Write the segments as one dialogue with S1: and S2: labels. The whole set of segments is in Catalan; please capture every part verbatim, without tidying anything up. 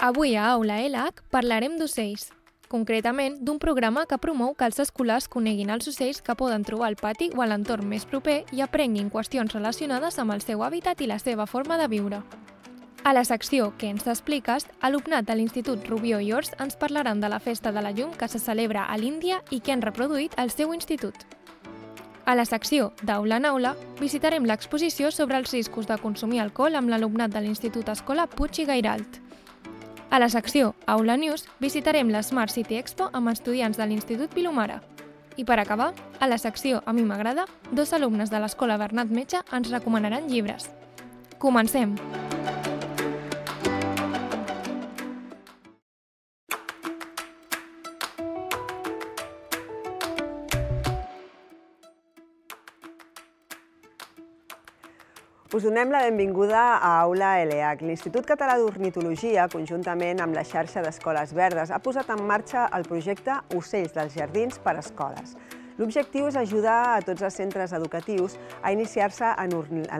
S1: Avui a Aula L H parlarem d'ocells, concretament d'un programa que promou que els escolars coneguin els ocells que poden trobar al pati o a l'entorn més proper i aprenguin qüestions relacionades amb el seu hàbitat i la seva forma de viure. A la secció Què ens expliques, alumnat de l'Institut Rubió i Ors ens parlaran de la Festa de la Llum que se celebra a l'Índia i que han reproduït al seu institut. A la secció d'Aula en Aula visitarem l'exposició sobre els riscos de consumir alcohol amb l'alumnat de l'Institut Escola Puig i Gairalt. A la secció Aula News visitarem la Smart City Expo amb estudiants de l'Institut Vilomara. I per acabar, a la secció A mi m'agrada, dos alumnes de l'Escola Bernat Metge ens recomanaran llibres. Comencem!
S2: Us donem la benvinguda a Aula L H. L'Institut Català d'Ornitologia, conjuntament amb la xarxa d'Escoles Verdes, ha posat en marxa el projecte Ocells dels Jardins per a Escoles. L'objectiu és ajudar a tots els centres educatius a iniciar-se en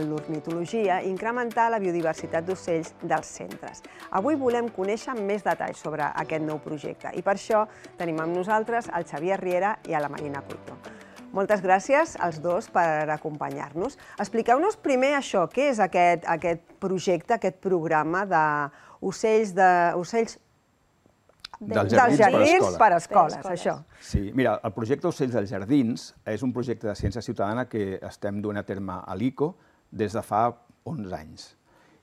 S2: l'ornitologia i incrementar la biodiversitat d'ocells dels centres. Avui volem conèixer més detalls sobre aquest nou projecte i per això tenim amb nosaltres el Xavier Riera i a la Marina Cuito. Moltes gràcies als dos per acompanyar-nos. Expliqueu-nos primer això, què és aquest, aquest projecte, aquest programa d'ocells de, ocells
S3: dels
S2: jardins,
S3: jardins
S2: per a escoles, això.
S3: Sí, mira, el projecte Ocells dels Jardins és un projecte de ciència ciutadana que estem duent a terme a l'I C O des de fa onze anys.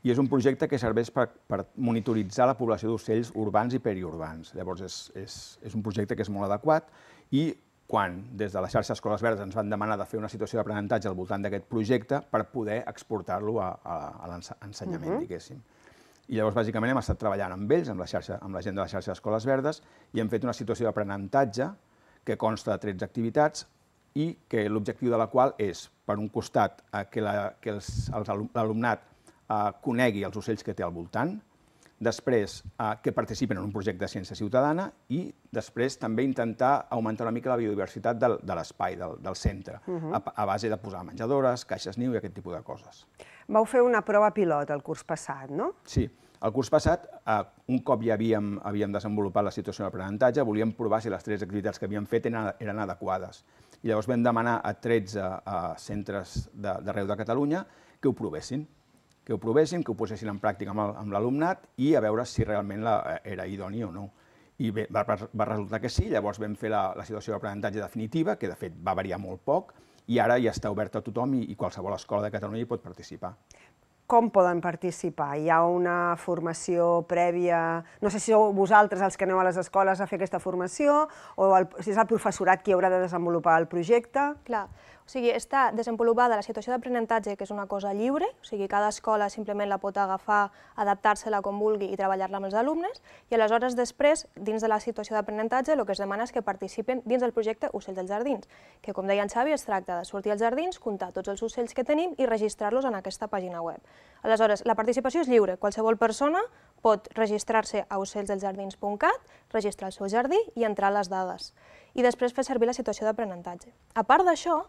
S3: I és un projecte que serveix per, per monitoritzar la població d'ocells urbans i periurbans. Llavors, és, és, és un projecte que és molt adequat i quan des de la xarxa Escoles Verdes ens van demanar de fer una situació d'aprenentatge al voltant d'aquest projecte per poder exportar-lo a, a, a l'ensenyament, diguéssim. I llavors, bàsicament, hem estat treballant amb ells, amb la, xarxa, amb la gent de la xarxa d'Escoles Verdes, i hem fet una situació d'aprenentatge que consta de tretze activitats i que l'objectiu de la qual és, per un costat, que l'alumnat conegui els ocells que té al voltant, després que participen en un projecte de ciència ciutadana i després també intentar augmentar una mica la biodiversitat de l'espai, del centre, a base de posar menjadores, caixes niu i aquest tipus de coses.
S2: Vau fer una prova pilot el curs passat, no?
S3: Sí. El curs passat, un cop ja havíem desenvolupat la situació d'aprenentatge, volíem provar si les tres activitats que havíem fet eren adequades. I llavors vam demanar a tretze centres d'arreu de Catalunya que ho provessin. que ho provessin, que ho posessin en pràctica amb l'alumnat i a veure si realment era idoni o no. I bé, va resultar que sí, llavors vam fer la situació d'aprenentatge definitiva, que de fet va variar molt poc, i ara ja està oberta a tothom i qualsevol escola de Catalunya hi pot participar.
S2: Com poden participar? Hi ha una formació prèvia? No sé si sou vosaltres els que aneu a les escoles a fer aquesta formació o si és el professorat qui haurà de desenvolupar el projecte?
S4: Clar, o sigui, està desenvolupada la situació d'aprenentatge, que és una cosa lliure, o sigui, cada escola simplement la pot agafar, adaptar-se-la com vulgui i treballar-la amb els alumnes, i aleshores després, dins de la situació d'aprenentatge, el que es demana és que participen dins del projecte Ocells dels Jardins, que com deia en Xavi, es tracta de sortir als jardins, comptar tots els ocells que tenim i registrar-los en aquesta pàgina web. Aleshores, la participació és lliure, qualsevol persona pot registrar-se a ocells dels jardins punt cat, registrar el seu jardí i entrar les dades, i després fer servir la situació d'aprenentatge. A part d'això,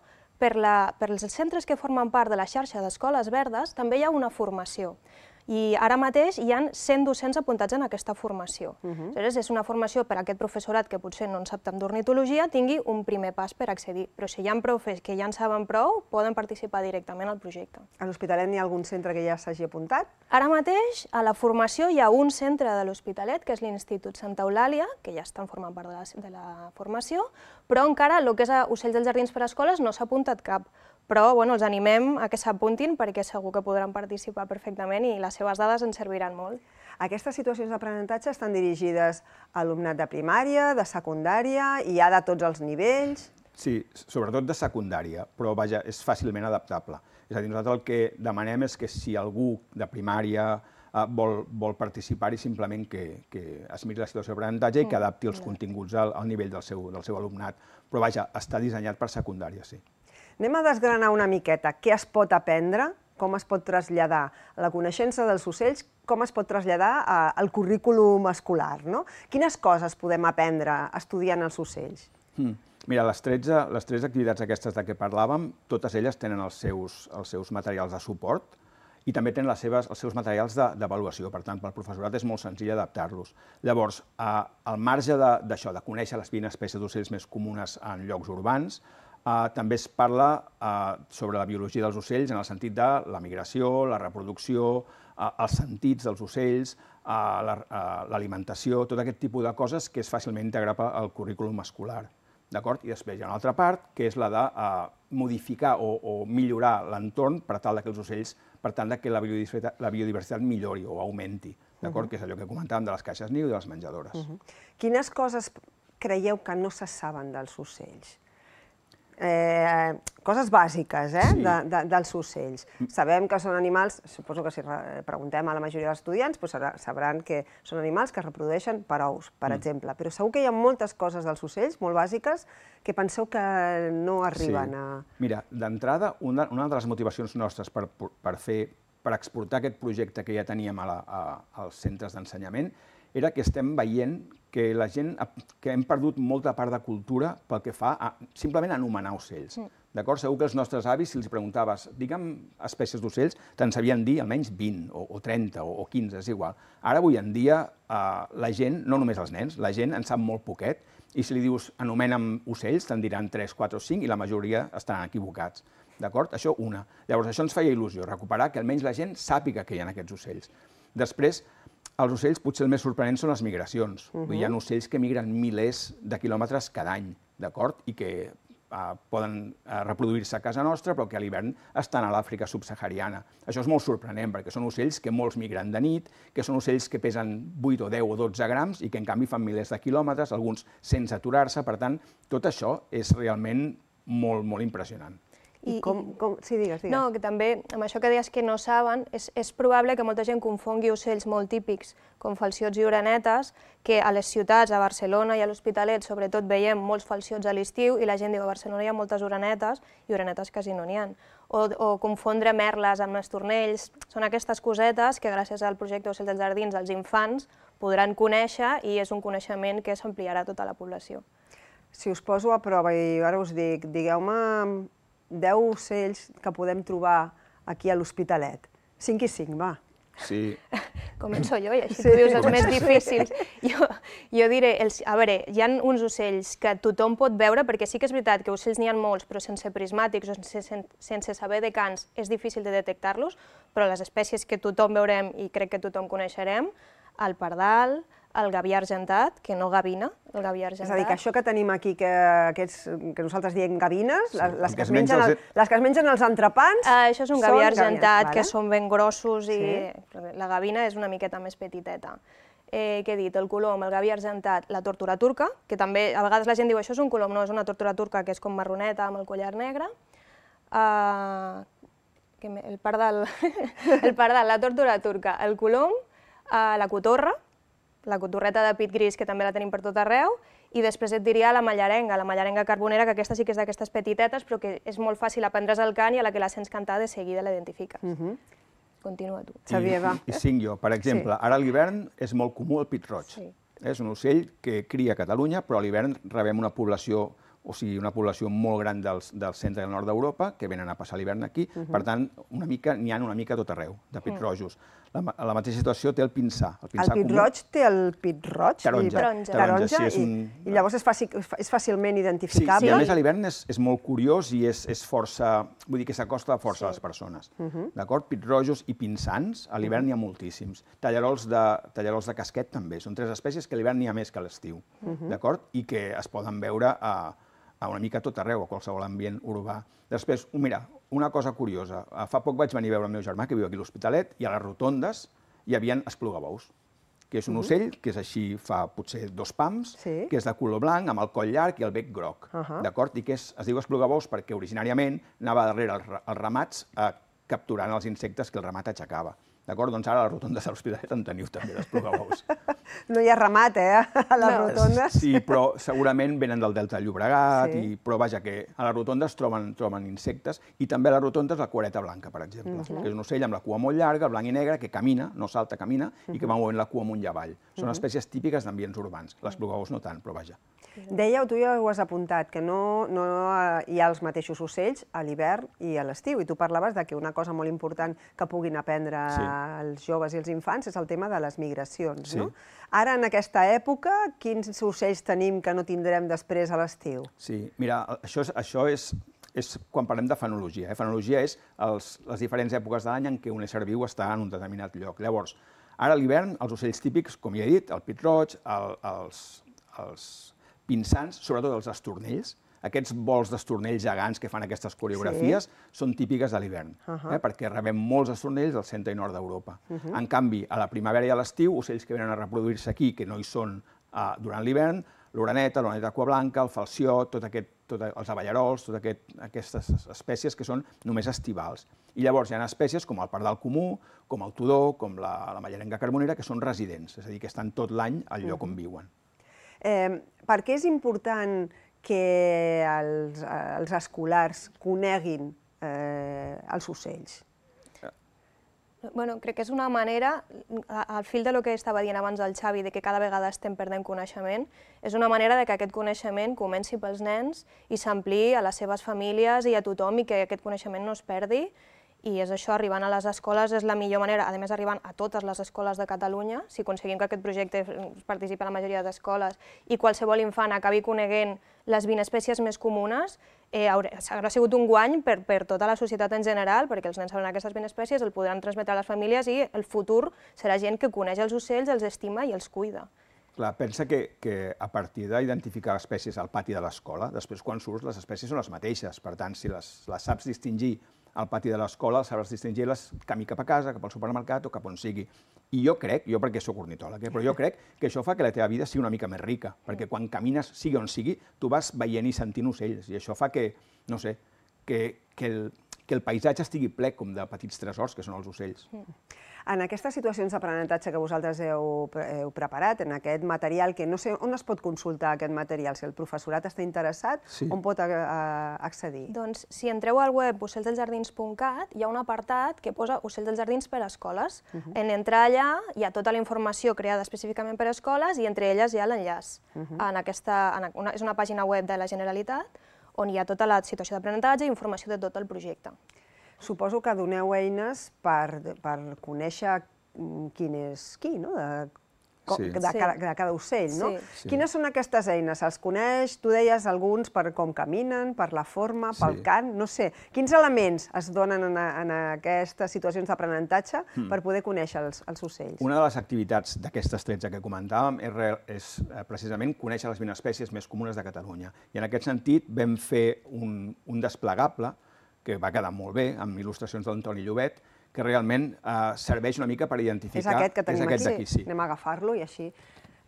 S4: per als centres que formen part de la xarxa d'Escoles Verdes també hi ha una formació. I ara mateix hi ha cent docents apuntats en aquesta formació. Aleshores, és una formació per a aquest professorat que potser no en sap tant d'ornitologia tingui un primer pas per accedir. Però si hi ha profes que ja en saben prou, poden participar directament al projecte.
S2: A l'Hospitalet n'hi ha algun centre que ja s'hagi apuntat?
S4: Ara mateix, a la formació hi ha un centre de l'Hospitalet, que és l'Institut Santa Eulàlia, que ja estan formant part de la formació, però encara el que és Ocells dels Jardins per a Escoles no s'ha apuntat cap. Però els animem a que s'apuntin perquè segur que podran participar perfectament i les seves dades ens serviran molt.
S2: Aquestes situacions d'aprenentatge estan dirigides a alumnat de primària, de secundària, i hi ha de tots els nivells?
S3: Sí, sobretot de secundària, però vaja, és fàcilment adaptable. És a dir, nosaltres el que demanem és que si algú de primària vol participar-hi, simplement que es miri la situació d'aprenentatge i que adapti els continguts al nivell del seu alumnat. Però vaja, està dissenyat per secundària, sí.
S2: Anem a desgranar una miqueta què es pot aprendre, com es pot traslladar la coneixença dels ocells, com es pot traslladar al currículum escolar. Quines coses podem aprendre estudiant els ocells?
S3: Mira, les tretze activitats aquestes de què parlàvem, totes elles tenen els seus materials de suport i també tenen les seves, els seus materials d'avaluació. Per tant, pel professorat és molt senzill adaptar-los. Llavors, eh, al marge d'això, de, de conèixer les vint espècies d'ocells més comunes en llocs urbans, eh, també es parla eh, sobre la biologia dels ocells en el sentit de la migració, la reproducció, eh, els sentits dels ocells, eh, l'alimentació, la, eh, tot aquest tipus de coses que és fàcilment integrable al currículum escolar. I després hi ha una altra part, que és la de uh, modificar o, o millorar l'entorn per tal que els ocells, per tant que la biodiversitat, la biodiversitat millori o augmenti, d'acord? Uh-huh. Que és allò que comentàvem de les caixes niu i de les menjadores. Uh-huh.
S2: Quines coses creieu que no se saben dels ocells? Eh, coses bàsiques, eh, sí. de, de, dels ocells. Sabem que són animals, suposo que si preguntem a la majoria dels estudiants, doncs sabran que són animals que es reprodueixen per ous, per mm. exemple, però segur que hi ha moltes coses dels ocells, molt bàsiques, que penseu que no arriben sí. a...
S3: Mira, d'entrada, una, una de les motivacions nostres per, per, fer, per exportar aquest projecte que ja teníem a la, a, als centres d'ensenyament era que estem veient que la gent, que hem perdut molta part de cultura pel que fa a simplement anomenar ocells. Mm. D'acord? Segur que els nostres avis, si els preguntaves, digue'm espècies d'ocells, te'n sabien dir almenys vint, o, o trenta, o, o quinze, és igual. Ara, avui en dia, eh, la gent, no només els nens, la gent en sap molt poquet, i si li dius anomena'm ocells, te'n diran tres, quatre o cinc, i la majoria estaran equivocats. D'acord? Això una. Llavors, això ens feia il·lusió, recuperar que almenys la gent sàpiga que hi ha aquests ocells. Després, els ocells potser el més sorprenent són les migracions. Uh-huh. Hi ha ocells que migren milers de quilòmetres cada any, d'acord? I que eh, poden eh, reproduir-se a casa nostra, però que a l'hivern estan a l'Àfrica subsahariana. Això és molt sorprenent, perquè són ocells que molts migren de nit, que són ocells que pesen vuit o deu o dotze grams i que en canvi fan milers de quilòmetres, alguns sense aturar-se. Per tant, tot això és realment molt, molt impressionant.
S2: I, com, com... Sí, digues, digues.
S4: No, que també, amb això que deies que no saben, és, és probable que molta gent confongui ocells molt típics, com falciots i orenetes, que a les ciutats, a Barcelona i a l'Hospitalet, sobretot veiem molts falciots a l'estiu i la gent diu a Barcelona hi ha moltes orenetes i orenetes quasi no n'hi ha. O, o confondre merles amb estornells. Són aquestes cosetes que gràcies al projecte Ocells dels Jardins els infants podran conèixer i és un coneixement que s'ampliarà a tota la població.
S2: Si us poso a prova i ara us dic, digueu-me deu ocells que podem trobar aquí a l'Hospitalet. Cinc i cinc, va.
S3: Sí.
S4: Començo jo i així sí. Tu dius els més difícils. Jo, jo diré, els, a veure, hi ha uns ocells que tothom pot veure, perquè sí que és veritat que ocells n'hi ha molts, però sense prismàtics o sense, sense saber de cants és difícil de detectar-los, però les espècies que tothom veurem i crec que tothom coneixerem, el pardal, el gaví argentat, que no gavina, el gaví argentat.
S2: És a dir, que això que tenim aquí, que, aquests, que nosaltres diem gavines, sí, les, les, que es mengen el, les que es mengen els entrepans...
S4: Uh, això és un gaví argentat, vale? Que són ben grossos i sí. La gavina és una miqueta més petiteta. Eh, què he dit? El colom, el gaví argentat, la tortura turca, que també a vegades la gent diu això és un colom, no, és una tortura turca que és com marroneta amb el collar negre. Uh, el pardal, el pardal, la tortura turca, el colom, uh, la cotorra, la cotorreta de pit gris, que també la tenim per tot arreu, i després et diria la mallarenga, la mallarenga carbonera, que aquesta sí que és d'aquestes petitetes, però que és molt fàcil aprendre's el cant i a la que la sents cantar de seguida l'identifiques. Uh -huh. Continua tu.
S2: Xavier, va.
S3: I, i cinc jo. Per exemple, sí. Ara a l'hivern és molt comú el pit roig. Sí. És un ocell que cria a Catalunya, però a l'hivern rebem una població, o sigui, una població molt gran dels, del centre i del nord d'Europa, que venen a passar l'hivern aquí. Uh -huh. Per tant, una mica n'hi ha una mica a tot arreu, de pit rojos. La, la mateixa situació té el pinsà.
S2: El, pinsà el pit comú. Roig té el pit roig?
S3: Taronja.
S2: Taronja, taronja sí, és un... i, i llavors és, fàcil, és fàcilment identificable?
S3: Sí, sí, a més a l'hivern és, és molt curiós i és, és força, vull dir que s'acosta força sí. a les persones. Uh -huh. D'acord? Pit rojos i pinsans, a l'hivern uh -huh. n'hi ha moltíssims. Tallarols de, tallarols de casquet també, són tres espècies que a l'hivern n'hi ha més que a l'estiu, uh -huh. d'acord? I que es poden veure a, a una mica a tot arreu, a qualsevol ambient urbà. Després, mira, una cosa curiosa, fa poc vaig venir a veure el meu germà, que viu aquí a l'Hospitalet, i a les rotondes hi havia esplugabous, que és un ocell que és així, fa potser dos pams, sí. que és de color blanc, amb el coll llarg i el bec groc, uh -huh. d'acord? I que és, es diu esplugabous perquè originàriament anava darrere els, els ramats eh, capturant els insectes que el ramat aixecava. D'acord? Doncs ara a les rotondes de l'Hospitalet en teniu també d'esplugabous.
S2: No hi ha ramat, eh, a les no. rotondes.
S3: Sí, però segurament venen del Delta del Llobregat, sí. i, però vaja, que a les rotondes troben, troben insectes, i també a les rotondes la cuereta blanca, per exemple, uh-huh. que és un ocell amb la cua molt llarga, blanc i negre, que camina, no salta, camina, uh-huh. i que va movent la cua amunt i avall. Són uh-huh. espècies típiques d'ambients urbans. L'esplugabous no tant, però vaja.
S2: Dèieu, tu ja ho has apuntat, que no hi ha els mateixos ocells a l'hivern i a l'estiu, i tu parlaves que una cosa molt important que puguin aprendre els joves i els infants és el tema de les migracions. Ara, en aquesta època, quins ocells tenim que no tindrem després a l'estiu?
S3: Sí, mira, això és quan parlem de fenologia. Fenologia és les diferents èpoques de l'any en què un ésser viu està en un determinat lloc. Llavors, ara a l'hivern, els ocells típics, com ja he dit, el pit-roig, els pinsans, sobretot els estornells, aquests vols d'estornells gegants que fan aquestes coreografies són típiques de l'hivern, perquè rebem molts estornells del centre i nord d'Europa. En canvi, a la primavera i a l'estiu, ocells que venen a reproduir-se aquí, que no hi són durant l'hivern, l'oreneta, l'oreneta aquablanca, el falciot, els abellarols, totes aquestes espècies que són només estivals. I llavors hi ha espècies com el pardal comú, com el tudó, com la mallerenga carbonera, que són residents, és a dir, que estan tot l'any al lloc on viuen.
S2: Per què és important que els escolars coneguin els ocells?
S4: Bueno, crec que és una manera, al fil del que estava dient abans el Xavi, de que cada vegada estem perdent coneixement, és una manera que aquest coneixement comenci pels nens i s'ampliï a les seves famílies i a tothom i que aquest coneixement no es perdi. I és això, arribant a les escoles és la millor manera, a més arribant a totes les escoles de Catalunya, si aconseguim que aquest projecte participi a la majoria d'escoles i qualsevol infant acabi coneguent les vint espècies més comunes, haurà sigut un guany per tota la societat en general, perquè els nens sabran aquestes vint espècies, el podran transmetre a les famílies i el futur serà gent que coneix els ocells, els estima i els cuida.
S3: Clar, pensa que a partir d'identificar espècies al pati de l'escola, després quan surts les espècies són les mateixes, per tant, si les saps distingir al pati de l'escola, sabràs distingir-les camí cap a casa, cap al supermercat o cap on sigui. I jo crec, jo perquè soc ornitòleg, però jo crec que això fa que la teva vida sigui una mica més rica, perquè quan camines, sigui on sigui, tu vas veient i sentint ocells, i això fa que, no sé, que el paisatge estigui ple com de petits tresors, que són els ocells.
S2: En aquestes situacions d'aprenentatge que vosaltres heu preparat, en aquest material, que no sé on es pot consultar aquest material, si el professorat està interessat, on pot accedir?
S4: Doncs si entreu al web ocells dels jardins punt cat, hi ha un apartat que posa ocells dels jardins per a escoles. En entrar allà hi ha tota la informació creada específicament per a escoles i entre elles hi ha l'enllaç. És una pàgina web de la Generalitat on hi ha tota la situació d'aprenentatge i informació de tot el projecte.
S2: Suposo que doneu eines per conèixer quin és qui, de cada ocell, no? Quines són aquestes eines? Els coneix, tu deies alguns per com caminen, per la forma, pel cant, no sé. Quins elements es donen en aquestes situacions d'aprenentatge per poder conèixer els ocells?
S3: Una de les activitats d'aquestes tretze que comentàvem és precisament conèixer les vint espècies més comunes de Catalunya. I en aquest sentit vam fer un desplegable que va quedar molt bé, amb il·lustracions d'Antoni Llobet, que realment serveix una mica per identificar...
S2: És aquest que tenim aquí, sí. Anem a agafar-lo i així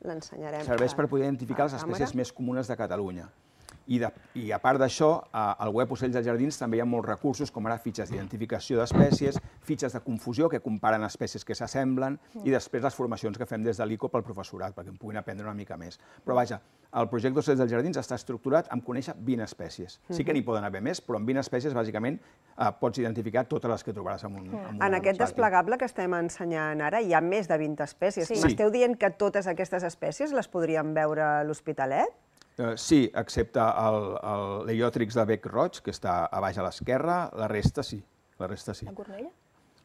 S2: l'ensenyarem.
S3: Serveix per poder identificar les espècies més comunes de Catalunya. I a part d'això, al web Ocells dels Jardins també hi ha molts recursos, com ara fitxes d'identificació d'espècies, fitxes de confusió que comparen espècies que s'assemblen i després les formacions que fem des de l'I C O pel professorat, perquè en puguin aprendre una mica més. Però vaja, el projecte Ocells dels Jardins està estructurat en conèixer vint espècies. Sí que n'hi poden haver més, però en vint espècies, bàsicament, pots identificar totes les que trobaràs en un pati.
S2: En aquest desplegable que estem ensenyant ara hi ha més de vint espècies. M'esteu dient que totes aquestes espècies les podríem veure a l'Hospitalet?
S3: Sí, excepte l'Leiòtrix de bec roig, que està a baix a l'esquerra, la resta sí. La resta sí.
S4: La cornella?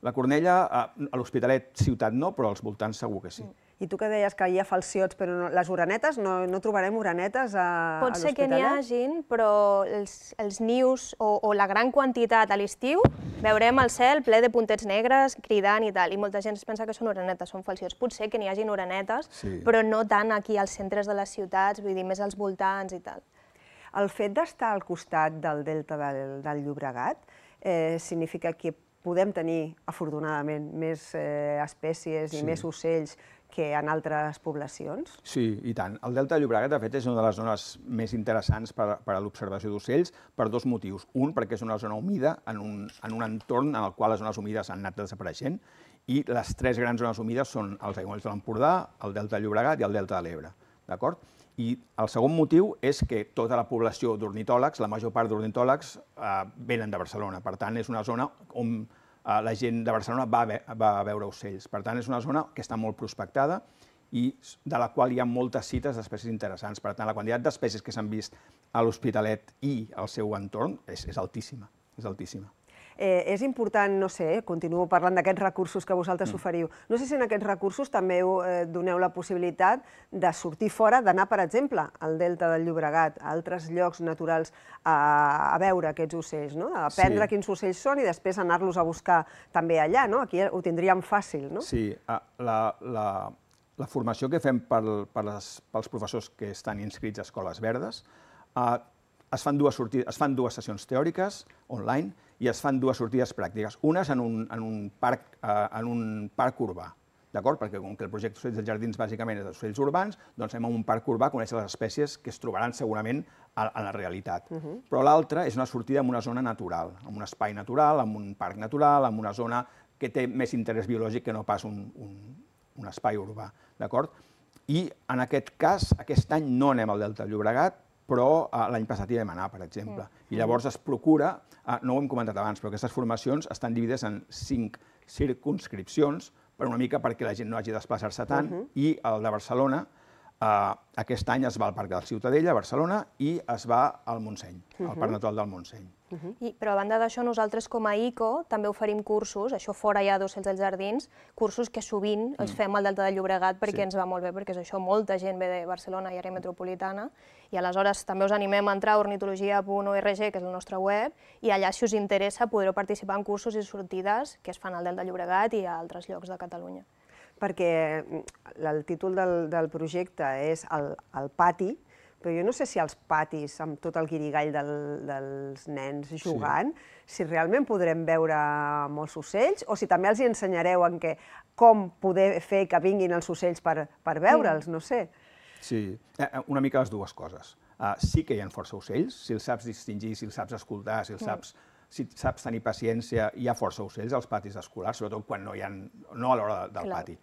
S3: La cornella, a l'Hospitalet ciutat no, però als voltants segur que sí.
S2: I tu que deies que hi ha falciots, però les orenetes, no trobarem orenetes a l'Hospitalet?
S4: Pot ser que n'hi hagin, però els nius o la gran quantitat a l'estiu veurem el cel ple de puntets negres, cridant i tal, i molta gent es pensa que són orenetes, són falciots. Potser que n'hi hagin orenetes, però no tant aquí als centres de les ciutats, vull dir, més als voltants i tal.
S2: El fet d'estar al costat del delta del Llobregat significa que podem tenir, afortunadament, més espècies i més ocells que en altres poblacions?
S3: Sí, i tant. El delta de Llobregat, de fet, és una de les zones més interessants per a l'observació d'ocells per dos motius. Un, perquè és una zona humida, en un entorn en el qual les zones humides han anat desapareixent, i les tres grans zones humides són els aiguamolls de l'Empordà, el delta de Llobregat i el delta de l'Ebre. D'acord? I el segon motiu és que tota la població d'ornitòlegs, la major part d'ornitòlegs, venen de Barcelona. Per tant, és una zona on la gent de Barcelona va a veure ocells. Per tant, és una zona que està molt prospectada i de la qual hi ha moltes cites d'espècies interessants. Per tant, la quantitat d'espècies que s'han vist a l'Hospitalet i al seu entorn és, és altíssima, és altíssima.
S2: Eh, és important, no sé, continuo parlant d'aquests recursos que vosaltres oferiu. No sé si en aquests recursos també eh, doneu la possibilitat de sortir fora, d'anar, per exemple, al Delta del Llobregat, a altres llocs naturals, a, a veure aquests ocells, no? A aprendre sí. quins ocells són i després anar-los a buscar també allà, no? Aquí ho tindríem fàcil, no?
S3: Sí, la, la, la formació que fem per, per les, pels professors que estan inscrits a Escoles Verdes eh, es fan dues sortides, es fan dues sessions teòriques online i es fan dues sortides pràctiques. Unes en un, en un, parc, eh, en un parc urbà, d'acord? Perquè com que el projecte Ocells dels Jardins bàsicament és d'ocells urbans, doncs anem a un parc urbà a conèixer les espècies que es trobaran segurament a, a la realitat. Uh-huh. Però l'altra és una sortida en una zona natural, en un espai natural, en un parc natural, en una zona que té més interès biològic que no pas un, un, un espai urbà, d'acord? I en aquest cas, aquest any no anem al Delta del Llobregat, però uh, l'any passat hi vam anar, per exemple. Mm. I llavors es procura, uh, no ho hem comentat abans, però aquestes formacions estan dividides en cinc circunscripcions, per una mica perquè la gent no hagi de desplaçar-se tant, uh-huh. i el de Barcelona, uh, aquest any es va al Parc de la Ciutadella, a Barcelona, i es va al Montseny, uh-huh. al Parc Natural del Montseny.
S4: Uh-huh. I, però a banda d'això, nosaltres com a I C O també oferim cursos, això fora ja d'Ocells dels Jardins, cursos que sovint els fem al Delta del Llobregat perquè sí. ens va molt bé, perquè és això, molta gent ve de Barcelona i àrea metropolitana, i aleshores també us animem a entrar a ornitologia punt org, que és la nostra web, i allà, si us interessa, podreu participar en cursos i sortides que es fan al Delta del Llobregat i a altres llocs de Catalunya.
S2: Perquè el títol del, del projecte és el, el pati, però jo no sé si als patis, amb tot el guirigall del, dels nens jugant, sí. si realment podrem veure molts ocells, o si també els hi ensenyareu en què, com poder fer que vinguin els ocells per, per veure'ls, no sé.
S3: Sí, una mica les dues coses. Uh, sí que hi ha força ocells, si els saps distingir, si els saps escoltar, si els saps, si saps tenir paciència, hi ha força ocells als patis escolars, sobretot quan no hi ha, no a l'hora del Clar. pati.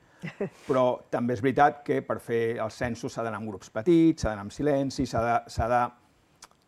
S3: Però també és veritat que per fer els censos s'ha d'anar en grups petits, s'ha d'anar en silenci, s'ha de, s'ha de,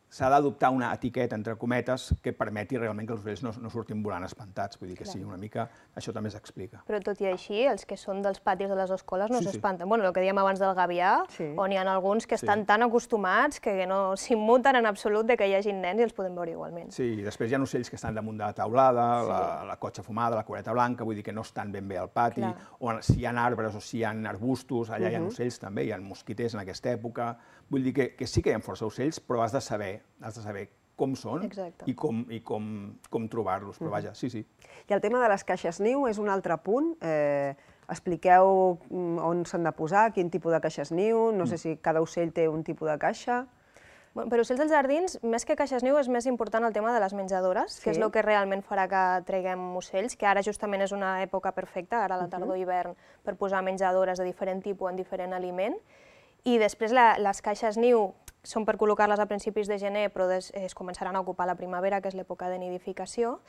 S3: s'ha d'adoptar una etiqueta, entre cometes, que permeti realment que els ocells no, no surtin volant espantats. Vull dir que Clar. sí, una mica això també s'explica.
S4: Però tot i així, els que són dels patis de les escoles no
S3: Sí, sí.
S4: s'espanten. Bueno, el que dèiem abans del gavià,
S2: Sí.
S4: on hi ha alguns que
S3: Sí.
S4: estan tan acostumats que no s'immuten en absolut de que hi hagin nens i els podem veure igualment.
S3: Sí, i després hi ha ocells que estan damunt de la taulada, la, la cotxa fumada, la coreta blanca, vull dir que no estan ben bé al pati,
S4: Clar.
S3: o si hi ha arbres o si hi ha arbustos, allà hi ha ocells també, hi ha mosquiters en aquesta època. Vull dir que, que sí que hi ha força ocells, però has de saber, has de saber com són
S4: Exacte.
S3: i com, i com, com trobar-los, però vaja, sí, sí.
S2: I el tema de les caixes niu és un altre punt. Eh, expliqueu on s'han de posar, quin tipus de caixes niu, no sé si cada ocell té un tipus de caixa.
S4: Bueno, per Ocells dels Jardins, més que caixes niu, és més important el tema de les menjadores,
S2: Sí.
S4: que és el que realment farà que traguem ocells, que ara justament és una època perfecta, ara a la tardor i hivern, per posar menjadores de diferent tipus en diferent aliment. I després la, les caixes niu són per col·locar-les a principis de gener, però des, es començaran a ocupar la primavera, que és l'època de nidificació.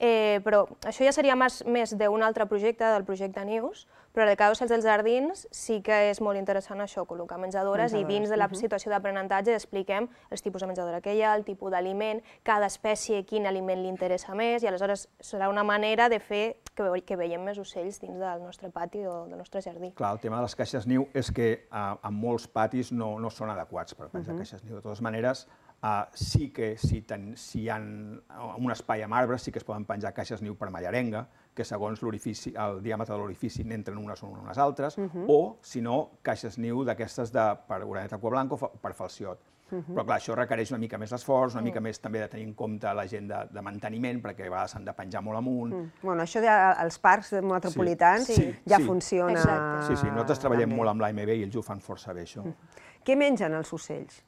S4: Eh, però això ja seria més, més d'un altre projecte, del projecte Nius, però en el cas d'Ocells dels Jardins sí que és molt interessant això, col·locar menjadores, menjadores. i dins de la uh-huh. situació d'aprenentatge expliquem els tipus de menjadora que hi ha, el tipus d'aliment, cada espècie, quin aliment li interessa més, i aleshores serà una manera de fer que, ve que veiem més ocells dins del nostre pati o del nostre jardí.
S3: Clar, el tema de les caixes niu és que eh, en molts patis no, no són adequats per penjar uh-huh. caixes niu. De totes maneres, Uh, sí que si, ten, si hi ha un espai amb arbres sí que es poden penjar caixes niu per mallarenga, que segons l'orifici, el diàmetre de l'orifici n'entren unes o unes altres, uh-huh. o, si no, caixes niu d'aquestes de, per oreneta aquablanca o per falciot. Uh-huh. Però clar, això requereix una mica més d'esforç, una uh-huh. mica més també de tenir en compte la gent de, de manteniment, perquè a vegades s'han de penjar molt amunt. Uh-huh.
S2: Bueno, això als parcs metropolitans
S3: sí. Sí.
S2: ja
S3: sí.
S2: funciona.
S3: Exacte. Sí, sí, nosaltres treballem
S2: també.
S3: molt amb l'A M B i ells ho fan força bé, això.
S2: Uh-huh. Què mengen els ocells?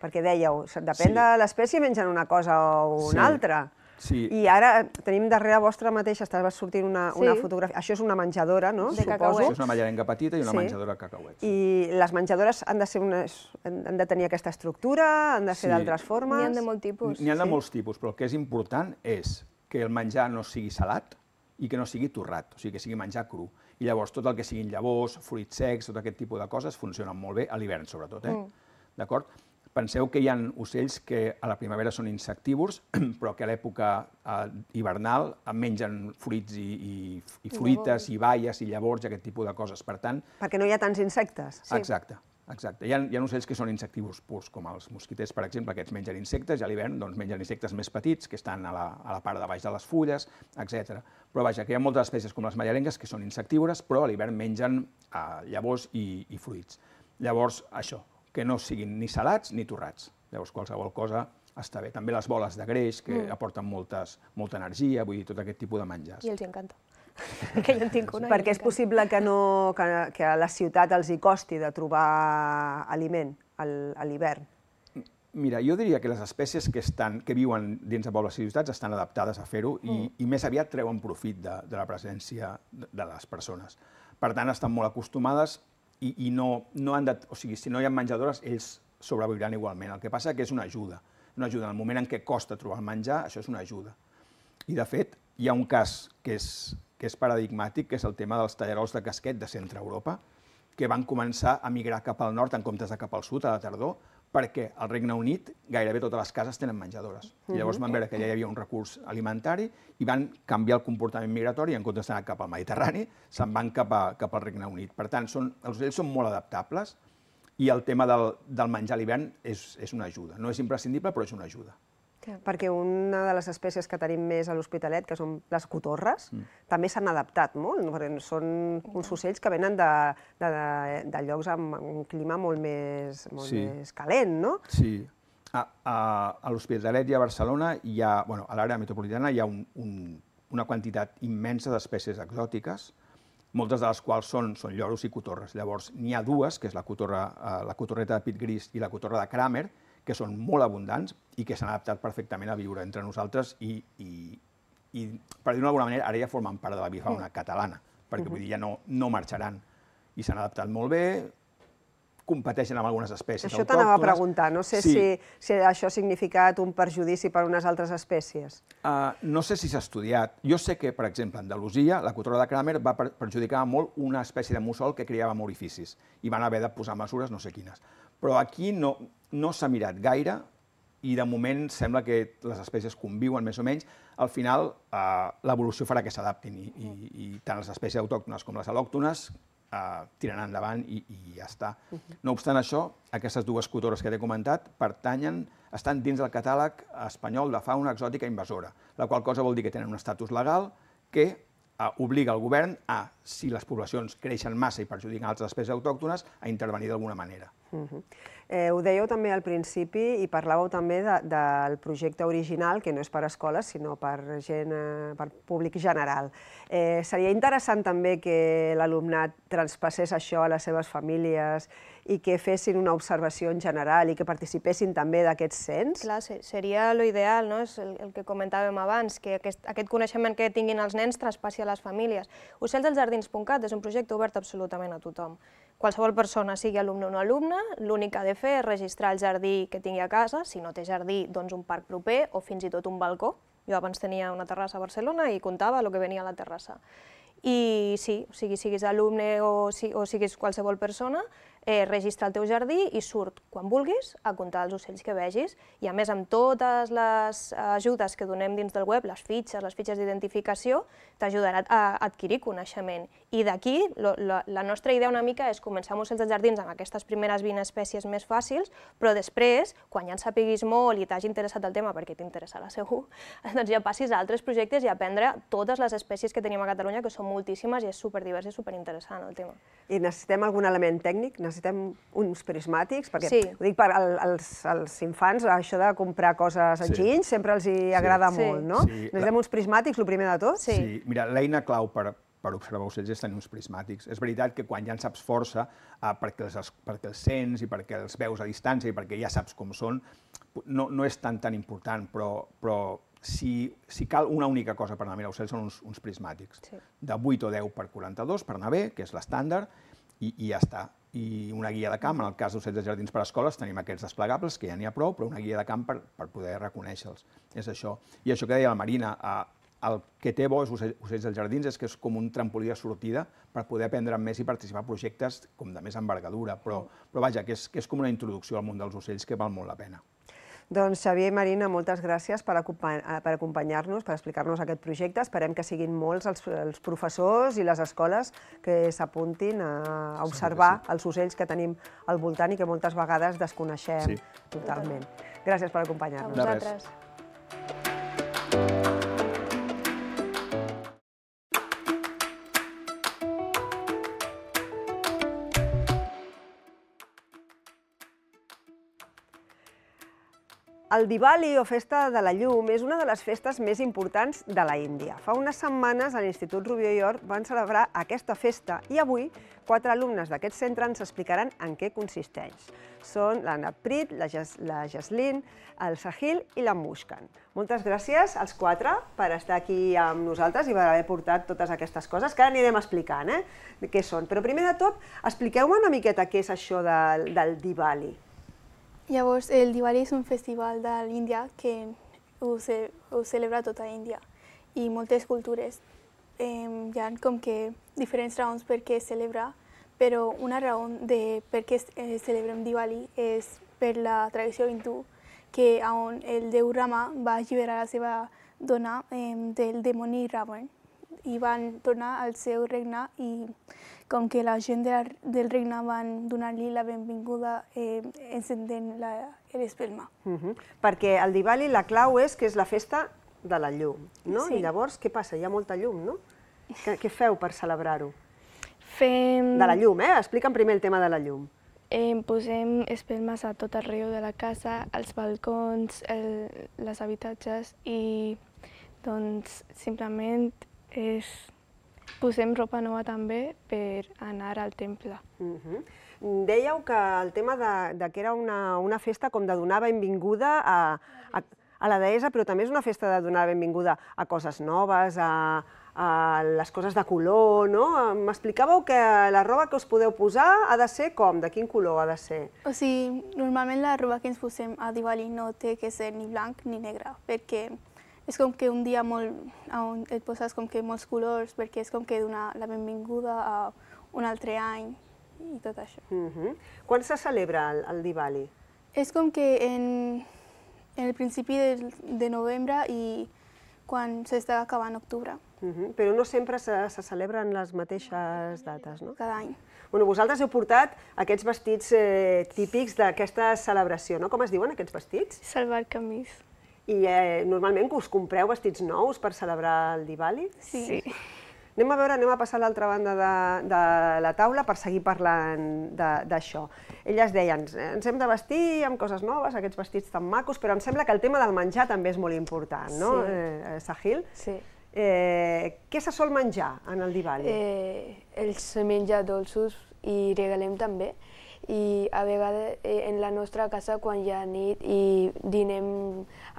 S2: Perquè dèieu, depèn
S3: Sí.
S2: de l'espècie, mengen una cosa o una
S3: Sí.
S2: altra.
S3: Sí.
S2: I ara tenim darrere vostra mateix, estava sortint una,
S4: Sí.
S2: una fotografia. Això és una menjadora, no?
S4: De
S2: Suposo.
S4: cacauets.
S3: Això és una mallarenga petita i una
S2: Sí.
S3: menjadora de cacauets.
S2: I les menjadores han de, ser unes, han de tenir aquesta estructura, han de ser
S3: Sí.
S2: d'altres formes.
S4: N'hi ha de molt tipus.
S3: N'hi ha de
S2: Sí.
S3: molts tipus, però el que és important és que el menjar no sigui salat i que no sigui torrat, o sigui, que sigui menjar cru. I llavors tot el que siguin llavors, fruits secs, tot aquest tipus de coses funcionen molt bé, a l'hivern sobretot, eh? Mm. D'acord? Penseu que hi ha ocells que a la primavera són insectívors, però que a l'època hivernal mengen fruits i fruites, i baies, i llavors, i aquest tipus de coses. Per tant...
S2: Perquè no hi ha tants insectes.
S3: Exacte. Exacte. Hi ha, hi ha ocells que són insectívors purs, com els mosquiters, per exemple, que mengen insectes, i a l'hivern doncs, mengen insectes més petits, que estan a la, a la part de baix de les fulles, etcètera. Però vaja, que hi ha moltes espècies com les mallarengues que són insectívores, però a l'hivern mengen eh, llavors i, i fruits. Llavors, això, que no siguin ni salats ni torrats. Llavors, qualsevol cosa està bé. També les boles de greix, que mm. aporten moltes, molta energia, vull dir, tot aquest tipus de menjars.
S4: I els encanta. Que jo en tinc una.
S2: Perquè és possible que, no, que, que a la ciutat els hi costi de trobar aliment a l'hivern?
S3: Mira, jo diria que les espècies que, estan, que viuen dins de pobles i ciutats estan adaptades a fer-ho i, mm. i més aviat treuen profit de, de la presència de, de les persones. Per tant, estan molt acostumades i, i no, no han de... O sigui, si no hi ha menjadores, ells sobreviuran igualment. El que passa que és una ajuda. Una ajuda. En el moment en què costa trobar el menjar, això és una ajuda. I, de fet, hi ha un cas que és, que és paradigmàtic, que és el tema dels tallarols de casquet de centre Europa, que van començar a migrar cap al nord en comptes de cap al sud a la tardor, perquè al Regne Unit gairebé totes les cases tenen menjadores. I llavors van veure que ja hi havia un recurs alimentari i van canviar el comportament migratori i en comptes d'anar cap al Mediterrani, se'n van cap, a, cap al Regne Unit. Per tant, són, els ocells són molt adaptables i el tema del, del menjar a l'hivern és, és una ajuda. No és imprescindible, però és una ajuda.
S2: Perquè una de les espècies que tenim més a l'Hospitalet, que són les cotorres, mm. també s'han adaptat molt, perquè són uns ocells que venen de, de, de llocs amb un clima molt més, molt sí. més calent, no?
S3: Sí. A, a, a l'Hospitalet i a Barcelona, hi ha, bueno, a l'àrea metropolitana, hi ha un, un, una quantitat immensa d'espècies exòtiques, moltes de les quals són, són lloros i cotorres. Llavors, n'hi ha dues, que és la, cotorra, la cotorreta de pit gris i la cotorra de Kramer, que són molt abundants i que s'han adaptat perfectament a viure entre nosaltres i, i, i per dir-ho d'alguna manera, ara ja formen part de la bifauna catalana, perquè vull dir, ja no, no marxaran. I s'han adaptat molt bé, competeixen amb algunes espècies
S2: autòctones.
S3: Això
S2: t'anava a preguntar, no sé
S3: sí.
S2: si, si això ha significat un perjudici per unes altres espècies.
S3: Uh, no sé si s'ha estudiat. Jo sé que, per exemple, a Andalusia, la cotorra de Kramer va perjudicar molt una espècie de mussol que criava en orificis i van haver de posar mesures no sé quines. Però aquí no, no s'ha mirat gaire i de moment sembla que les espècies conviuen més o menys. Al final, eh, l'evolució farà que s'adaptin i, i, i tant les espècies autòctones com les al·lòctones eh, tiraran endavant i, i ja està. No obstant això, aquestes dues cotorres que t'he comentat pertanyen, estan dins del catàleg espanyol de fauna exòtica invasora, la qual cosa vol dir que tenen un estatus legal que eh, obliga el govern a, si les poblacions creixen massa i perjudiquen altres espècies autòctones, a intervenir d'alguna manera.
S2: Uh-huh. Eh, ho dèieu també al principi i parlàveu també de, del projecte original, que no és per escoles, sinó per, gent, eh, per públic general. Eh, seria interessant també que l'alumnat traspassés això a les seves famílies i que fessin una observació en general i que participessin també d'aquest cens?
S4: Clar, seria l'ideal, no? És el, el que comentàvem abans, que aquest, aquest coneixement que tinguin els nens traspassi a les famílies. ocells dels jardins punt cat és un projecte obert absolutament a tothom. Qualsevol persona, sigui alumne o no alumne, l'únic que ha de fer és registrar el jardí que tingui a casa, si no té jardí, doncs un parc proper o fins i tot un balcó. Jo abans tenia una terrassa a Barcelona i comptava el que venia a la terrassa. I sí, o sigui, siguis alumne o, si, o siguis qualsevol persona, eh, registra el teu jardí i surt quan vulguis a comptar els ocells que vegis. I a més, amb totes les ajudes que donem dins del web, les fitxes, les fitxes d'identificació, t'ajudarà a adquirir coneixement. I d'aquí, la, la nostra idea una mica és començar amb ocells dels jardins amb aquestes primeres vint espècies més fàcils, però després, quan ja en sapiguis molt i t'hagi interessat el tema, perquè t'interessarà segur, doncs ja passis a altres projectes i aprendre totes les espècies que tenim a Catalunya, que són moltíssimes i és superdivers i superinteressant el tema.
S2: I necessitem algun element tècnic? Necessitem uns prismàtics? Perquè,
S4: sí.
S2: ho dic per al, als, als infants, això de comprar coses enginys sí. sempre els hi agrada sí. molt, no? Sí. Necessitem uns prismàtics, el primer de tot?
S3: Sí. sí. Mira, l'eina clau per, per observar ocells és tenir uns prismàtics. És veritat que quan ja en saps força, eh, perquè, els, perquè els sents i perquè els veus a distància i perquè ja saps com són, no, no és tan tan important, però, però si, si cal una única cosa per anar a mirar ocells són uns, uns prismàtics. Sí. De vuit o deu per quaranta-dos, per anar bé, que és l'estàndard, i, i ja està. I una guia de camp, en el cas d'ocells de jardins per a escoles, tenim aquests desplegables, que ja n'hi ha prou, però una guia de camp per, per poder reconèixer-los. És això. I això que deia la Marina, a, el que té bo és Ocells dels Jardins és que és com un trampolí de sortida per poder aprendre més i participar en projectes com de més envergadura, però vaja, que és com una introducció al món dels ocells que val molt la pena.
S2: Doncs Xavier i Marina, moltes gràcies per acompanyar-nos, per explicar-nos aquest projecte. Esperem que siguin molts els professors i les escoles que s'apuntin a observar els ocells que tenim al voltant i que moltes vegades desconeixem totalment. Gràcies per acompanyar-nos.
S4: A vosaltres.
S2: El Diwali, o Festa de la Llum, és una de les festes més importants de la Índia. Fa unes setmanes a l'Institut Rubió i Or van celebrar aquesta festa i avui quatre alumnes d'aquest centre ens explicaran en què consisteix. Són la Naprit, la Jaslin, el Sahil i la Muskan. Moltes gràcies als quatre per estar aquí amb nosaltres i per haver portat totes aquestes coses que ara anirem explicant què són. Però primer de tot, expliqueu-me una miqueta què és això del Diwali.
S5: Llavors, el Diwali és un festival de l'Índia que ho celebra tota l'Índia i moltes cultures. Hi ha com que diferents raons per què es celebra, però una raó de per què celebrem Diwali és per la tradició hindú, que on el déu Rama va alliberar la seva dona del dimoni Ravan i van tornar al seu regne i com que la gent del regne van donar-li la benvinguda encendent l'espelma.
S2: Perquè el Diwali la clau és que és la festa de la llum, no? I llavors què passa? Hi ha molta llum, no? Què feu per celebrar-ho?
S5: Fem...
S2: De la llum, eh? Explica'm primer el tema de la llum.
S5: Posem espelmes a tot arreu de la casa, als balcons, els habitatges i doncs simplement és... posem roba nova també per anar al temple.
S2: Dèieu que el tema que era una festa com de donar benvinguda a la deessa, però també és una festa de donar benvinguda a coses noves, a les coses de color, no? M'explicàveu que la roba que us podeu posar ha de ser com? De quin color ha de ser?
S5: O sigui, normalment la roba que ens posem a Diwali no té que ser ni blanc ni negre, perquè és com que un dia molt, on et poses com que molts colors, perquè és com que donar la benvinguda a un altre any i tot això.
S2: Quan se celebra el Diwali?
S5: És com que en el principi de novembre i quan s'està acabant octubre.
S2: Però no sempre se celebren les mateixes dates, no?
S5: Cada any.
S2: Vosaltres heu portat aquests vestits típics d'aquesta celebració, no? Com es diuen aquests vestits?
S5: Salvar camis.
S2: I normalment us compreu vestits nous per celebrar el Diwali?
S5: Sí.
S2: Anem a veure, anem a passar a l'altra banda de la taula per seguir parlant d'això. Elles deien, ens hem de vestir amb coses noves, aquests vestits tan macos, però em sembla que el tema del menjar també és molt important, no, Sahil?
S6: Sí.
S2: Què se sol menjar en el Diwali?
S6: Els menja dolços i regalem també. I a vegades en la nostra casa quan hi ha nit i dinem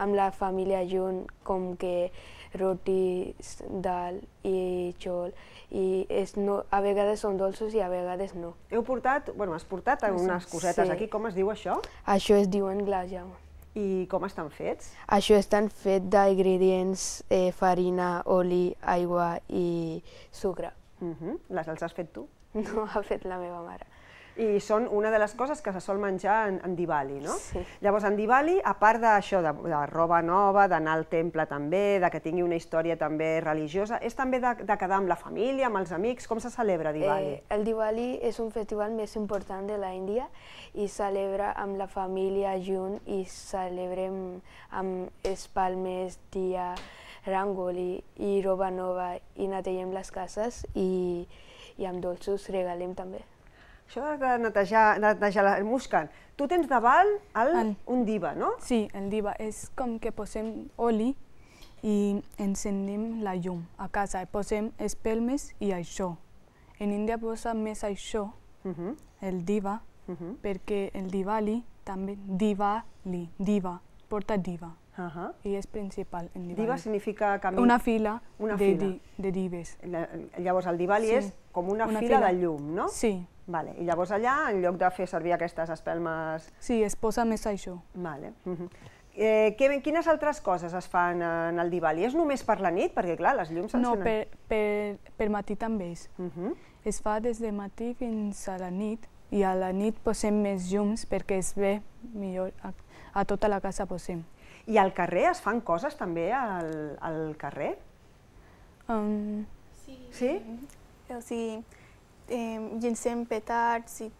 S6: amb la família junt com que rotis, dal i xol i a vegades són dolços i a vegades no.
S2: Heu portat, bueno, has portat unes cosetes aquí, com es diu això?
S6: Això es diuen glajam.
S2: I com estan fets?
S6: Això estan fets d'ingredients farina, oli, aigua i sucre.
S2: Els has fet tu?
S6: No, ha fet la meva mare.
S2: I són una de les coses que se sol menjar en Diwali, no?
S6: Sí.
S2: Llavors, en Diwali, a part d'això, de roba nova, d'anar al temple també, de que tingui una història també religiosa, és també de quedar amb la família, amb els amics? Com se celebra Diwali?
S6: El Diwali és un festival més important de l'Índia i celebra amb la família junt i celebrem amb espalmes, dia, rangoli i roba nova i netegem les cases i amb dolços regalem també.
S2: Això de netejar la Muskan, tu tens davant un diva, no?
S7: Sí, el diva és com que posem oli i encenem la llum a casa, posem espelmes i això. En Índia posa més això, el diva, perquè el Diwali també, Diwali, diva, porta diva. I és principal en Diwali.
S2: Diva significa camí...
S7: Una fila de dives.
S2: Llavors el Diwali és com una fila de llum, no?
S7: Sí.
S2: I llavors allà, en lloc de fer servir aquestes espelmes...
S7: Sí, es posa més això.
S2: Eh, que, quines altres coses es fan en el Diwali? És només per la nit? Perquè, clar, les llums
S7: No,
S2: s'encenen.
S7: per, per, per matí també és.
S2: Uh -huh.
S7: Es fa des de matí fins a la nit i a la nit posem més llums perquè es ve millor. A, a tota la casa posem.
S2: I al carrer es fan coses també al, al carrer?
S7: Um,
S5: Sí.
S2: Sí?
S5: O sigui, eh, llencem petards i,